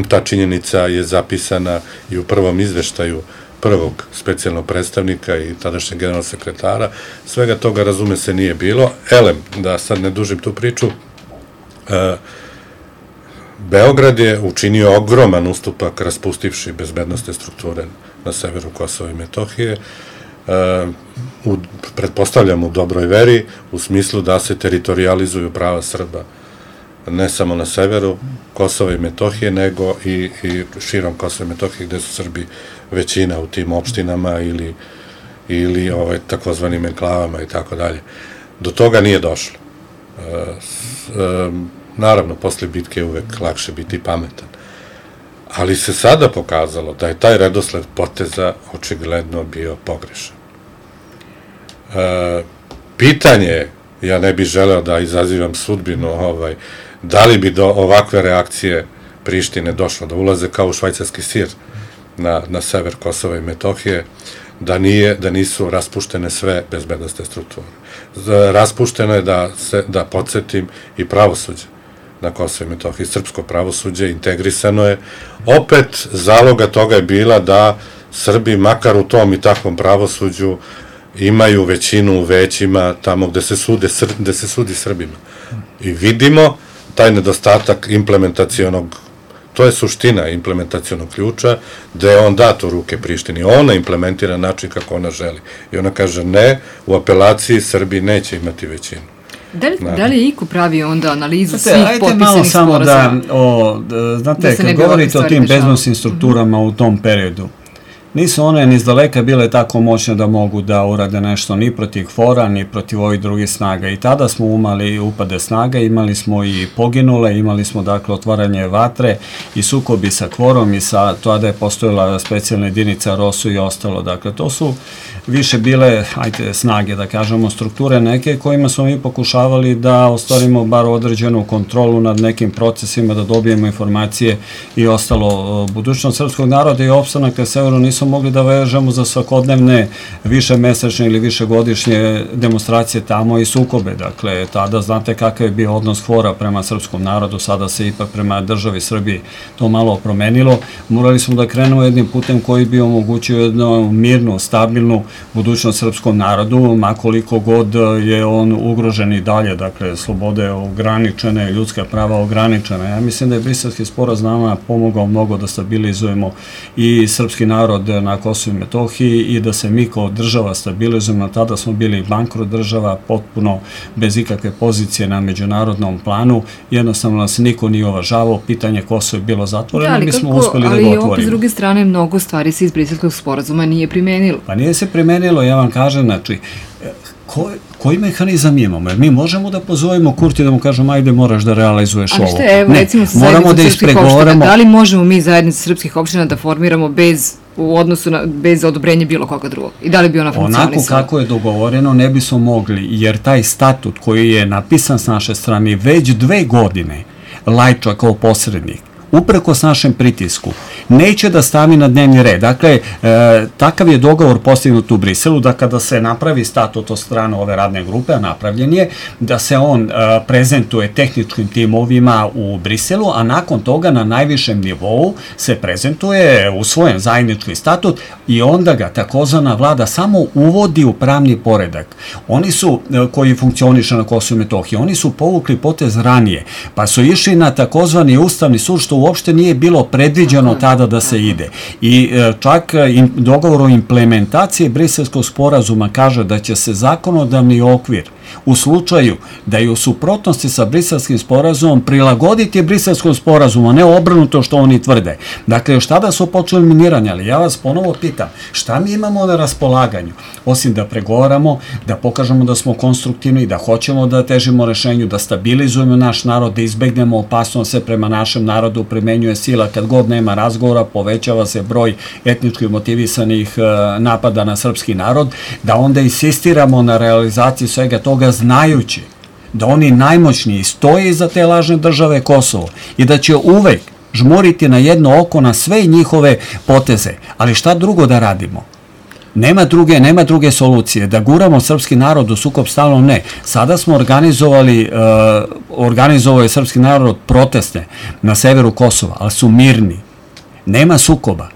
ta činjenica je zapisana i u prvom izveštaju prvog specijalnog predstavnika i tadašnjeg generalnog sekretara. Svega toga, razume se, nije bilo. Da sad ne dužim tu priču, Beograd je učinio ogroman ustupak raspustivši bezbednostne strukture na severu Kosova i Metohije, pretpostavljam u dobroj veri, u smislu da se teritorijalizuju prava Srba, ne samo na severu Kosova i Metohije, nego i širom Kosova i Metohije, gde su Srbi većina u tim opštinama ili takozvanim enklavama i tako dalje. Do toga nije došlo. Naravno, posle bitke je uvek lakše biti pametan. Ali se sada pokazalo da je taj redosled poteza očigledno bio pogrešan. Pitanje je, ja ne bih želeo da izazivam sudbinu, da li bi do ovakve reakcije Prištine došlo, da ulaze kao u švajcarski sir na sever Kosova i Metohije, da nisu raspuštene sve bezbednostne strukture. Raspušteno je, da podsjetim, i pravosuđe na Kosovo i Metohiji, srpsko pravosuđe, integrisano je. Opet, zaloga toga je bila da Srbi, makar u tom i takvom pravosuđu, imaju većinu u većima tamo gde se sudi Srbima. I vidimo taj nedostatak implementacionog to je suština implementacionog ključa, da je on dat u ruke Prištini. Ona implementira način kako ona želi. I ona kaže ne, u apelaciji Srbiji neće imati većinu. Da li je iko pravi onda analizu svih potpisanih sporazuma? Ajde malo samo znate, kad govorite o tim bezbednosnim strukturama u tom periodu, nisu one ni izdaleka bile tako moćne da mogu da urade nešto ni protiv KFOR-a, ni protiv ovih drugih snaga. I tada smo imali upade snaga, imali smo i poginule, imali smo dakle otvaranje vatre i sukobi sa KFOR-om i tada je postojala specijalna jedinica ROSU i ostalo. Dakle, to su više bile, snage, da kažemo, strukture neke kojima smo mi pokušavali da ostvarimo bar određenu kontrolu nad nekim procesima, da dobijemo informacije i ostalo. Budućnost srpskog naroda i opstanak na severu nisu mogli da vežemo za svakodnevne višemesečne ili višegodišnje demonstracije tamo i sukobe. Dakle, tada znate kakav je bio odnos KFOR-a prema srpskom narodu, sada se ipak prema državi Srbiji to malo promenilo. Morali smo da krenemo jednim putem koji bi omogućio jednu mirnu, stabilnu budućnost srpskom narodu, makoliko god je on ugrožen i dalje, dakle, slobode ograničene, ljudska prava ograničena. Ja mislim da je Briselski sporazum nama pomogao mnogo da stabilizujemo i srpski narod na Kosovu i Metohiji i da se mi kao država stabilizujemo. Tada smo bili bankrot država, potpuno bez ikakve pozicije na međunarodnom planu, jednostavno nas niko nije uvažavao, pitanje Kosova je bilo zatvoreno, mi smo uspeli da ga otvorimo. Ali opet s druge strane mnogo stvari se iz Briselskog sporazuma nije primenilo. Pa nije se primenilo, ja vam kažem, znači, koji mehanizam imamo? Jer mi možemo da pozovemo Kurti da mu kažemo ajde moraš da realizuješ ovo. Ali što je, evo recimo sa zajednicom srpskih opština, da li možemo mi zajednicu srpskih opština da formiramo bez odobrenja bilo koga drugog? I da li bi ona funkcionisala? Onako kako je dogovoreno ne bismo mogli, jer taj statut koji je napisan s naše strane već 2 godine Lajčak kao posrednik, uprkos našem pritisku, neće da stavi na dnevni red. Dakle, takav je dogovor postignut u Briselu, da kada se napravi statut od strane ove radne grupe, a napravljen je, da se on prezentuje tehničkim timovima u Briselu, a nakon toga na najvišem nivou se prezentuje usvojen zajednički statut i onda ga takozvana vlada samo uvodi u pravni poredak. Oni su, koji funkcioniše na Kosovu i Metohiji, oni su povukli potez ranije, pa su išli na takozvani Ustavni sud, što uopšte nije bilo predviđeno tada da se ide. I čak dogovor o implementaciji Briselskog sporazuma kaže da će se zakonodavni okvir u slučaju da je u suprotnosti sa Briselskim sporazumom prilagoditi Briselskom sporazumu, a ne obrnuto što oni tvrde. Dakle, još tada su počeli miniranje, ali ja vas ponovo pitam, šta mi imamo na raspolaganju? Osim da pregovaramo, da pokažemo da smo konstruktivni, da hoćemo da težimo rešenju, da stabilizujemo naš narod, da izbegnemo opasnost se prema našem narodu, primenjuje sila kad god nema razgovora, povećava se broj etnički motivisanih napada na srpski narod, da onda insistiramo na realizaciji svega toga znajući da oni najmoćniji stoje iza te lažne države Kosovo i da će uvek žmuriti na jedno oko na sve njihove poteze. Ali šta drugo da radimo? Nema druge solucije. Da guramo srpski narod u sukob stalno ne. Sada smo organizovao je srpski narod proteste na severu Kosova, ali su mirni. Nema sukoba.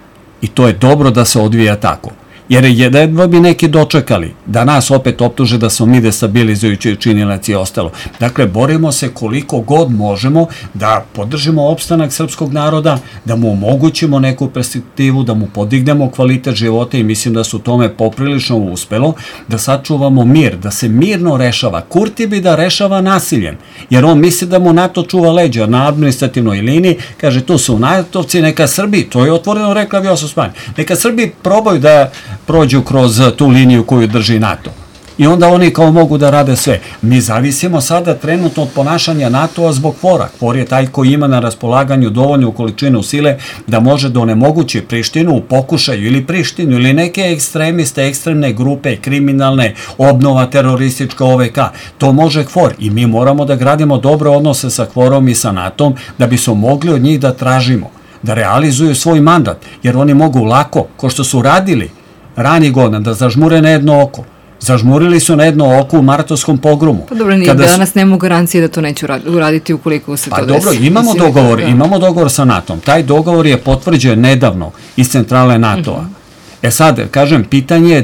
I to je dobro da se odvija tako. Jer jedva bi neki dočekali da nas opet optuže da smo mi destabilizujući činilac i ostalo. Dakle, borimo se koliko god možemo da podržimo opstanak srpskog naroda, da mu omogućimo neku perspektivu, da mu podignemo kvalitet života i mislim da su tome poprilično uspelo, da sačuvamo mir, da se mirno rešava. Kurti bi da rešava nasiljem, jer on misli da mu NATO čuva leđa na administrativnoj liniji, kaže tu su NATO-vci, neka Srbi, to je otvoreno rekla Vjosa Osmani, neka Srbi probaju da prođu kroz tu liniju koju drži NATO. I onda oni kao mogu da rade sve. Mi zavisimo sada trenutno od ponašanja NATO-a zbog KFOR-a. KFOR je taj koji ima na raspolaganju dovoljnu količinu sile da može da onemogući Prištinu u pokušaju ili Prištinu ili neke ekstremiste, ekstremne grupe, kriminalne, obnova teroristička OVK. To može KFOR i mi moramo da gradimo dobre odnose sa KFOR-om i sa NATO-om da bi smo mogli od njih da tražimo, da realizuju svoj mandat, jer oni mogu lako, ko što su radili rani godina, da zažmure na jedno oko. Zažmurili su na jedno oko u martovskom pogromu. Pa dobro, nije danas nema garancije da to neće uraditi ukoliko se to desi. Pa dobro, imamo dogovor sa NATO-om. Taj dogovor je potvrđen nedavno iz centrale NATO-a. Sad, kažem, pitanje je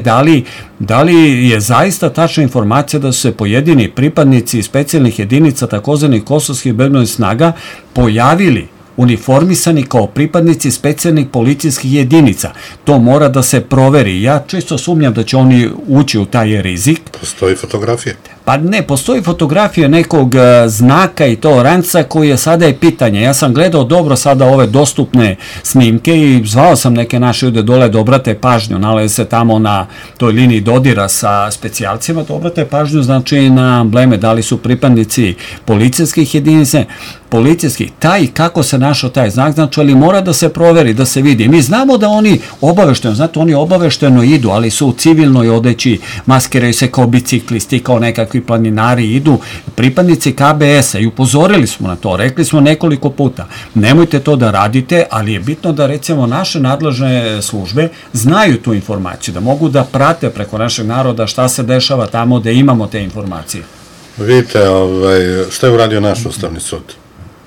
da li je zaista tačna informacija da su se pojedini pripadnici specijalnih jedinica takozvanih kosovskih bezbednosnih snaga pojavili uniformisani kao pripadnici specijalnih policijskih jedinica. To mora da se proveri. Ja često sumnjam da će oni ući u taj rizik. Postoji fotografija? Pa ne, postoji fotografija nekog znaka i to ranca koji je sada je pitanje. Ja sam gledao dobro sada ove dostupne snimke i zvao sam neke naše ljude dole da obrate pažnju, nalaze se tamo na toj liniji dodira sa specijalcima, da obrate pažnju znači na ambleme, da li su pripadnici policijskih jedinica, policijskih, taj kako se našao taj znak, znači, ali mora da se proveri, da se vidi. Mi znamo da oni obavešteno, znate, oni obavešteno idu, ali su u civilnoj odeći, maskiraju se kao biciklisti, kao nekakvi planinari, idu pripadnici KBS-a i upozorili smo na to, rekli smo nekoliko puta, nemojte to da radite, ali je bitno da recimo naše nadležne službe znaju tu informaciju, da mogu da prate preko našeg naroda šta se dešava tamo da imamo te informacije. Vidite, šta je uradio naš Ustavni sud?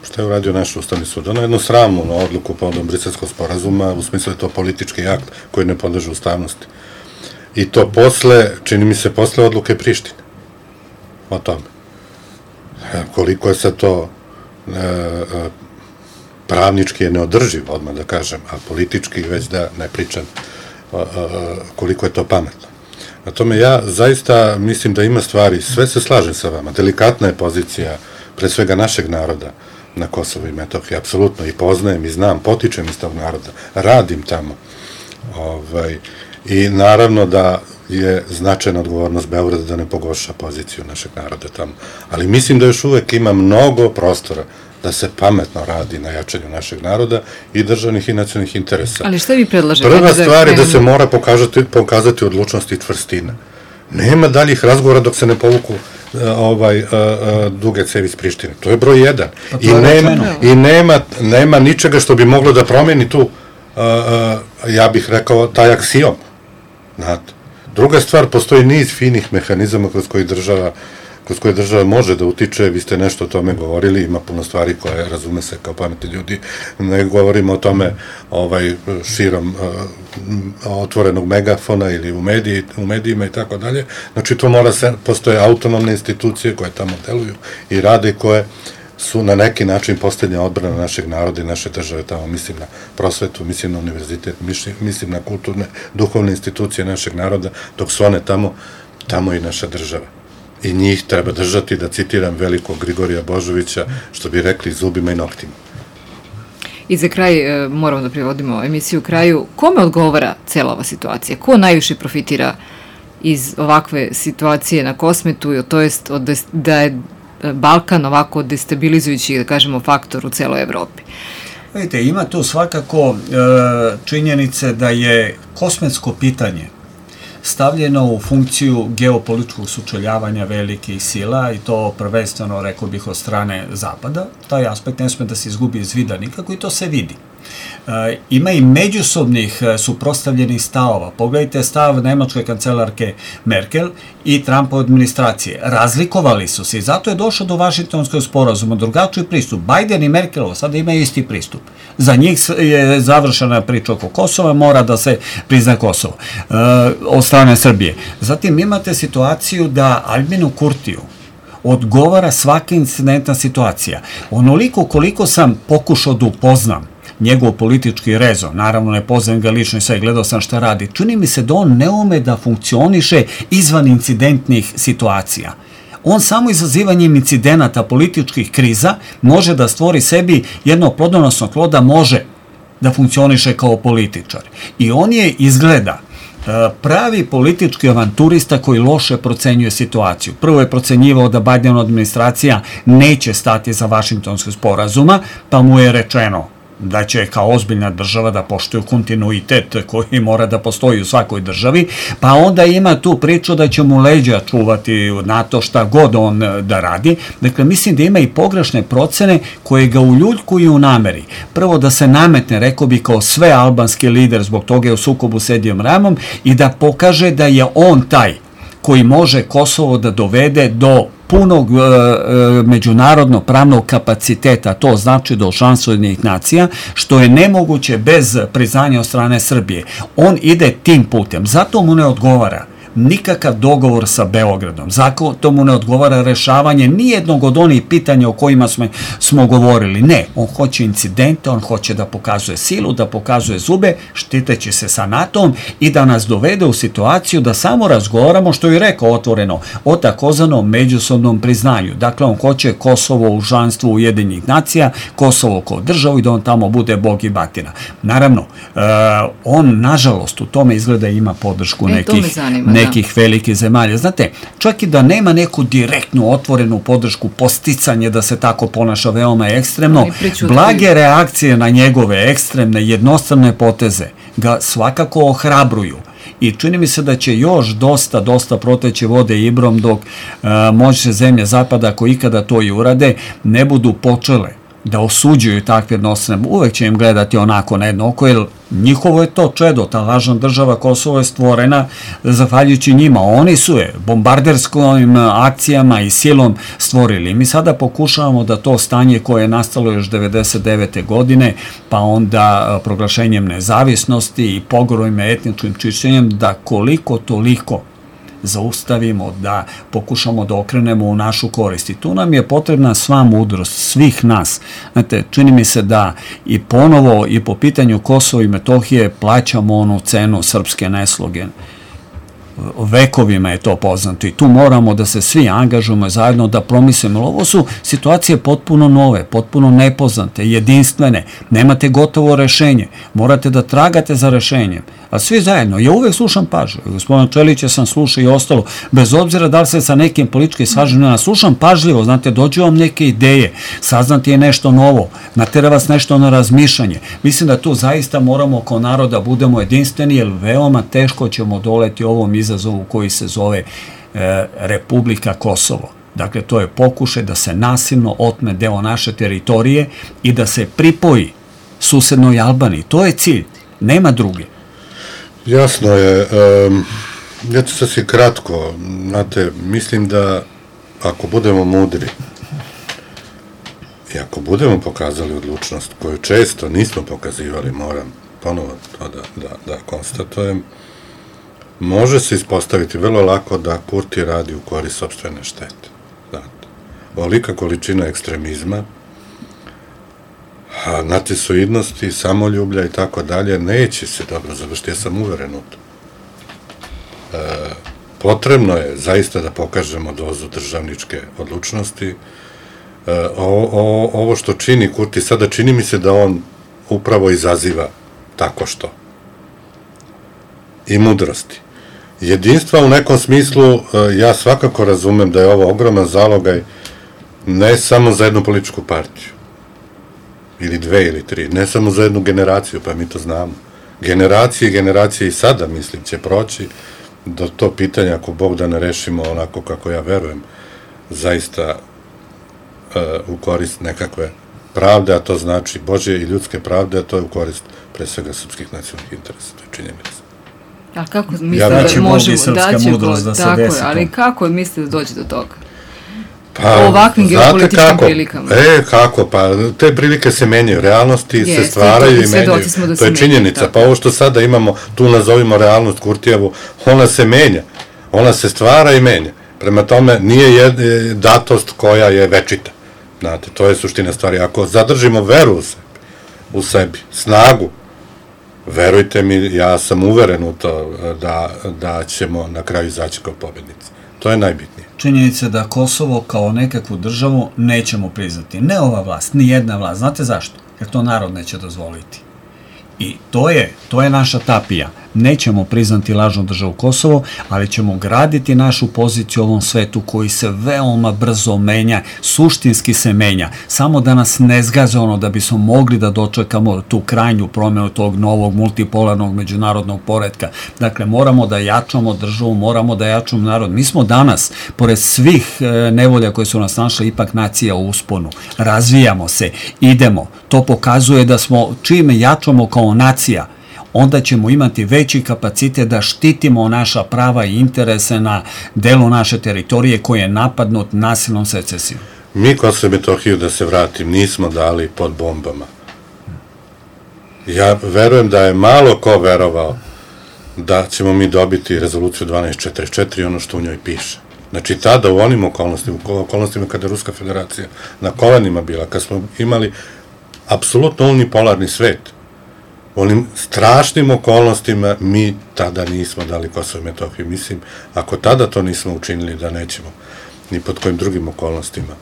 Šta je uradio naš Ustavni sud? Ono je jednu sramnu odluku povodom Briselskog sporazuma, u smislu je to politički akt koji ne podleže ustavnosti. I to posle, čini mi se, posle odluke Prištine. O tome. Koliko je sad to pravnički je neodrživ, odmah da kažem, a politički već da ne pričam koliko je to pametno. Na tome ja zaista mislim da ima stvari, sve se slažem sa vama, delikatna je pozicija pre svega našeg naroda na Kosovo i Metohiji, apsolutno, i poznajem i znam, potičem iz tog naroda, radim tamo. I naravno da je značajna odgovornost Beograda da ne pogorša poziciju našeg naroda tamo. Ali mislim da još uvek ima mnogo prostora da se pametno radi na jačanju našeg naroda i državnih i nacionalnih interesa. Ali šta vi predlažete? Prva stvar je da se mora pokazati odlučnost i čvrstina. Nema daljih razgovora dok se ne povuku duge cevi iz Prištine. To je broj 1. I nema ničega što bi moglo da promeni tu, ja bih rekao, taj aksijom. Znate. Druga stvar, postoji niz finih mehanizama kroz koje država može da utiče, vi ste nešto o tome govorili, ima puno stvari koje razume se kao pametni ljudi, ne govorimo o tome širom otvorenog megafona ili u medijima i tako dalje, znači to postoje autonomne institucije koje tamo deluju i rade, koje su na neki način posljednja odbrana našeg naroda i naše države tamo, mislim na prosvetu, mislim na univerzitet, mislim na kulturne, duhovne institucije našeg naroda, dok su one tamo i naša država. I njih treba držati, da citiram velikog Grigorija Božovića, što bi rekli, zubima i noktima. I za kraj, moramo da privodimo emisiju kraju, kome odgovara cela ova situacija? Ko najviše profitira iz ovakve situacije na Kosmetu, to jest da je Balkan ovako destabilizujući, da kažemo, faktor u celoj Evropi? Vidite, ima tu svakako činjenice da je kosmetsko pitanje stavljeno u funkciju geopolitičkog sučeljavanja velikih sila i to prvenstveno, rekao bih, od strane Zapada. Taj aspekt ne sme da se izgubi iz vida nikako i to se vidi. Ima i međusobnih suprotstavljenih stavova. Pogledajte stav nemačke kancelarke Merkel i Trumpove administracije. Razlikovali su se i zato je došlo do Vašingtonskog sporazuma, drugačiji pristup. Biden i Merkelova sada imaju isti pristup. Za njih je završena priča oko Kosova, mora da se prizna Kosovo od strane Srbije. Zatim imate situaciju da Albinu Kurtiju odgovara svaka incidentna situacija. Onoliko koliko sam pokušao da upoznam njegov politički rezon, naravno ne poznajem ga lično i sve, gledao sam šta radi, čini mi se da on ne ume da funkcioniše izvan incidentnih situacija. On samo izazivanjem incidenata, političkih kriza, može da stvori sebi jedno plodonosno tlo da može da funkcioniše kao političar. I on je, izgleda, pravi politički avanturista koji loše procenjuje situaciju. Prvo je procenjivao da Bidenova administracija neće stati za Vašingtonskog sporazuma, pa mu je rečeno da će kao ozbiljna država da poštuje kontinuitet koji mora da postoji u svakoj državi, pa onda ima tu priču da će mu leđa čuvati NATO šta god on da radi. Dakle, mislim da ima i pogrešne procene koje ga uljuljkuju u nameri. Prvo da se nametne, rekao bi, kao sve albanski lider, zbog toga je u sukobu s Edijom Ramom, i da pokaže da je on taj koji može Kosovo da dovede do punog međunarodno pravnog kapaciteta, to znači do članstva Ujedinjenih nacija, što je nemoguće bez priznanja od strane Srbije. On ide tim putem, zato mu ne odgovara nikakav dogovor sa Beogradom. Zato mu ne odgovara rešavanje nijednog od onih pitanja o kojima smo govorili. Ne, on hoće incidente, on hoće da pokazuje silu, da pokazuje zube, štiteći se sa NATO-om i da nas dovede u situaciju da samo razgovaramo, što je rekao otvoreno, o takozvanom međusobnom priznanju. Dakle, on hoće Kosovo u članstvu Ujedinjenih nacija, Kosovo kao državu i da on tamo bude bog i batina. Naravno, on, nažalost, u tome izgleda ima podršku nekih velikih zemalja. Znate, čak i da nema neku direktnu, otvorenu podršku, posticanje da se tako ponaša veoma ekstremno, blage reakcije na njegove ekstremne, jednostrane poteze ga svakako ohrabruju. I čini mi se da će još dosta proteći vode Ibrom dok moćne zemlje Zapada, ako ikada to i urade, ne budu počele da osuđuju takve jednostrane. Uvek će im gledati onako na jedno oko, jer njihovo je to čedo, ta lažna država Kosovo je stvorena zahvaljujući njima. Oni su je bombarderskim akcijama i silom stvorili. Mi sada pokušavamo da to stanje koje je nastalo još 1999. godine, pa onda proglašenjem nezavisnosti i pogromima, etničkim čišćenjem, da koliko toliko zaustavimo, da pokušamo da okrenemo u našu korist. I tu nam je potrebna sva mudrost svih nas. Znate, čini mi se da i ponovo i po pitanju Kosova i Metohije plaćamo onu cenu srpske nesloge. Vekovima je to poznato i tu moramo da se svi angažujemo zajedno da promislimo. Ovo su situacije potpuno nove, potpuno nepoznate, jedinstvene. Nemate gotovo rešenje. Morate da tragate za rešenjem. A svi zajedno. Ja uvek slušam pažljivo. Gospodina Čelića sam slušao i ostalo. Bez obzira da li se sa nekim političkim sažanjima slušam pažljivo. Znate, dođu vam neke ideje. Saznati je nešto novo. Natera vas nešto na razmišljanje. Mislim da tu zaista moramo kao narod da budemo jedinstveni, jer veoma teško ćemo doleti ovom izazovu koji se zove Republika Kosovo. Dakle, to je pokušaj da se nasilno otme deo naše teritorije i da se pripoji susednoj Albaniji. To je cilj. Nema druge. Jasno je. Ja ću sasvim kratko. Znate, mislim da ako budemo mudri i ako budemo pokazali odlučnost koju često nismo pokazivali, moram ponovo to da konstatujem, može se ispostaviti vrlo lako da Kurti radi u korist sopstvene štete. Znate, ovolika količina ekstremizma, nacisoidnosti, samoljublja i tako dalje, neće se dobro završiti. Ja sam uveren u to. Potrebno je zaista da pokažemo dozu državničke odlučnosti. Ovo što čini Kurti sada, čini mi se da on upravo izaziva tako što. I mudrosti. Jedinstva u nekom smislu, ja svakako razumem da je ovo ogroman zalogaj ne samo za jednu političku partiju, ili dve ili tri, ne samo za jednu generaciju, pa mi to znamo. Generacije i sada, mislim, će proći do to pitanja, ako Bog da ne rešimo onako kako ja verujem, zaista u korist nekakve pravde, a to znači Božje i ljudske pravde, a to je u korist pre svega srpskih nacionalnih interesa, to je činjenica. A kako mislite da možemo daći mudrost da se desi to? Ali kako mislite da dođe do toga? Pa, u ovakvim geopolitičkim prilikama. Kako? Pa te prilike se menjaju, realnosti se stvaraju i menjaju. To je činjenica. Pa ovo što sada imamo, tu nazovimo realnost Kurtijevu, ona se menja. Ona se stvara i menja. Prema tome, nije datost koja je večita. Znate, to je suština stvari. Ako zadržimo veru u sebi, snagu, verujte mi, ja sam uveren u to da ćemo na kraju izaći kao pobednici. To je najbitnije. Činjenica da Kosovo kao nekakvu državu nećemo priznati. Ne ova vlast, ni jedna vlast. Znate zašto? Jer to narod neće dozvoliti. I to je naša tapija. Nećemo priznati lažnu državu Kosovo, ali ćemo graditi našu poziciju u ovom svetu koji se veoma brzo menja, suštinski se menja, samo da nas ne zgaze ono da bismo mogli da dočekamo tu krajnju promjenu tog novog multipolarnog međunarodnog poretka. Dakle, moramo da jačamo državu, moramo da jačamo narod. Mi smo danas, pored svih nevolja koje su nas našle, ipak nacija u usponu. Razvijamo se, idemo. To pokazuje da smo, čim jačamo kao nacija, onda ćemo imati veći kapacitet da štitimo naša prava i interese na delu naše teritorije koji je napadnut nasilnom secesijom. Mi Kosovo i Metohiju, da se vratim, nismo dali pod bombama. Ja verujem da je malo ko verovao da ćemo mi dobiti rezoluciju 1244, ono što u njoj piše. Znači, tada u onim okolnostima kada je Ruska federacija na kolenima bila, kad smo imali apsolutno unipolarni svet, u onim strašnim okolnostima mi tada nismo dali Kosovo i Metohiju. Mislim, ako tada to nismo učinili, da nećemo, ni pod kojim drugim okolnostima.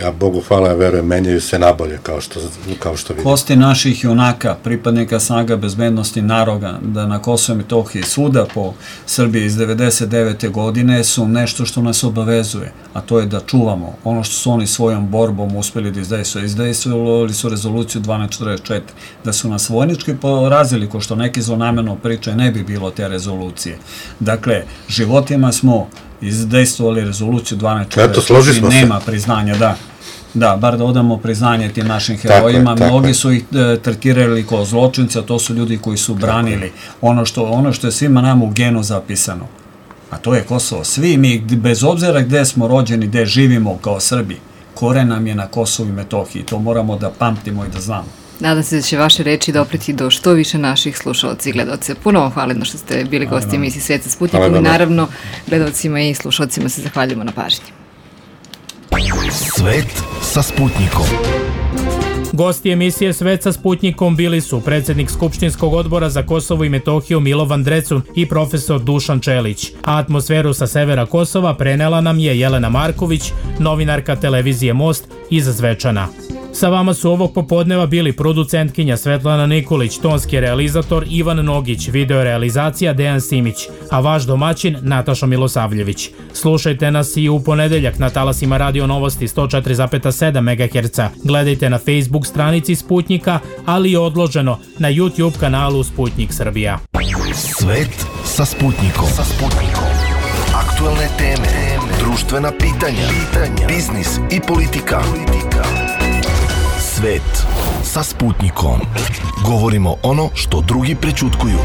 A Bogu hvala, ja verujem, menjaju se nabolje, kao što vidimo. Kosti naših junaka, pripadnika snaga bezbednosti naroda, da na Kosovo i Metohiji svuda po Srbiji iz 99. godine su nešto što nas obavezuje, a to je da čuvamo ono što su oni svojom borbom uspeli da izdejstvuju. Izdejstvovali su rezoluciju 1244, da su nas vojnički porazili, ko što neki zlonamerno pričaju, ne bi bilo te rezolucije. Dakle, životima smo izdejstvovali rezoluciju 1244, nema priznanja, da, bar da odamo priznanje tim našim herojima. Mnogi su ih tretirali kao zločince, a to su ljudi koji su branili ono što je svima nama u genu zapisano, a to je Kosovo. Svi mi, bez obzira gde smo rođeni, gde živimo kao Srbi, koren nam je na Kosovu i Metohiji, to moramo da pamtimo i da znamo. Nadam se da će vaše reči dopreti do što više naših slušalaca i gledaoca. Puno vam hvala što ste bili gosti emisije Svet sa Sputnikom i naravno gledaocima i slušalcima se zahvaljujemo na pažnji. Svet sa Sputnikom. Gosti emisije Svet sa Sputnikom bili su predsjednik Skupštinskog odbora za Kosovo i Metohiju Milovan Drecun i profesor Dušan Čelić. A atmosferu sa severa Kosova prenela nam je Jelena Marković, novinarka televizije Most iz Zvečana. Sa vama su ovog popodneva bili producentkinja Svetlana Nikolić, tonski realizator Ivan Nogić, videorealizacija Dejan Simić, a vaš domaćin Nataša Milosavljević. Slušajte nas i u ponedeljak na talasima Radio Novosti 104,7 MHz. Gledajte na Facebook stranici Sputnika, ali i odloženo na YouTube kanalu Sputnik Srbija. Svet sa Sputnikom. Aktualne teme, društvena pitanja, biznis i politika. Svet sa Sputnikom. Govorimo ono što drugi prećutkuju.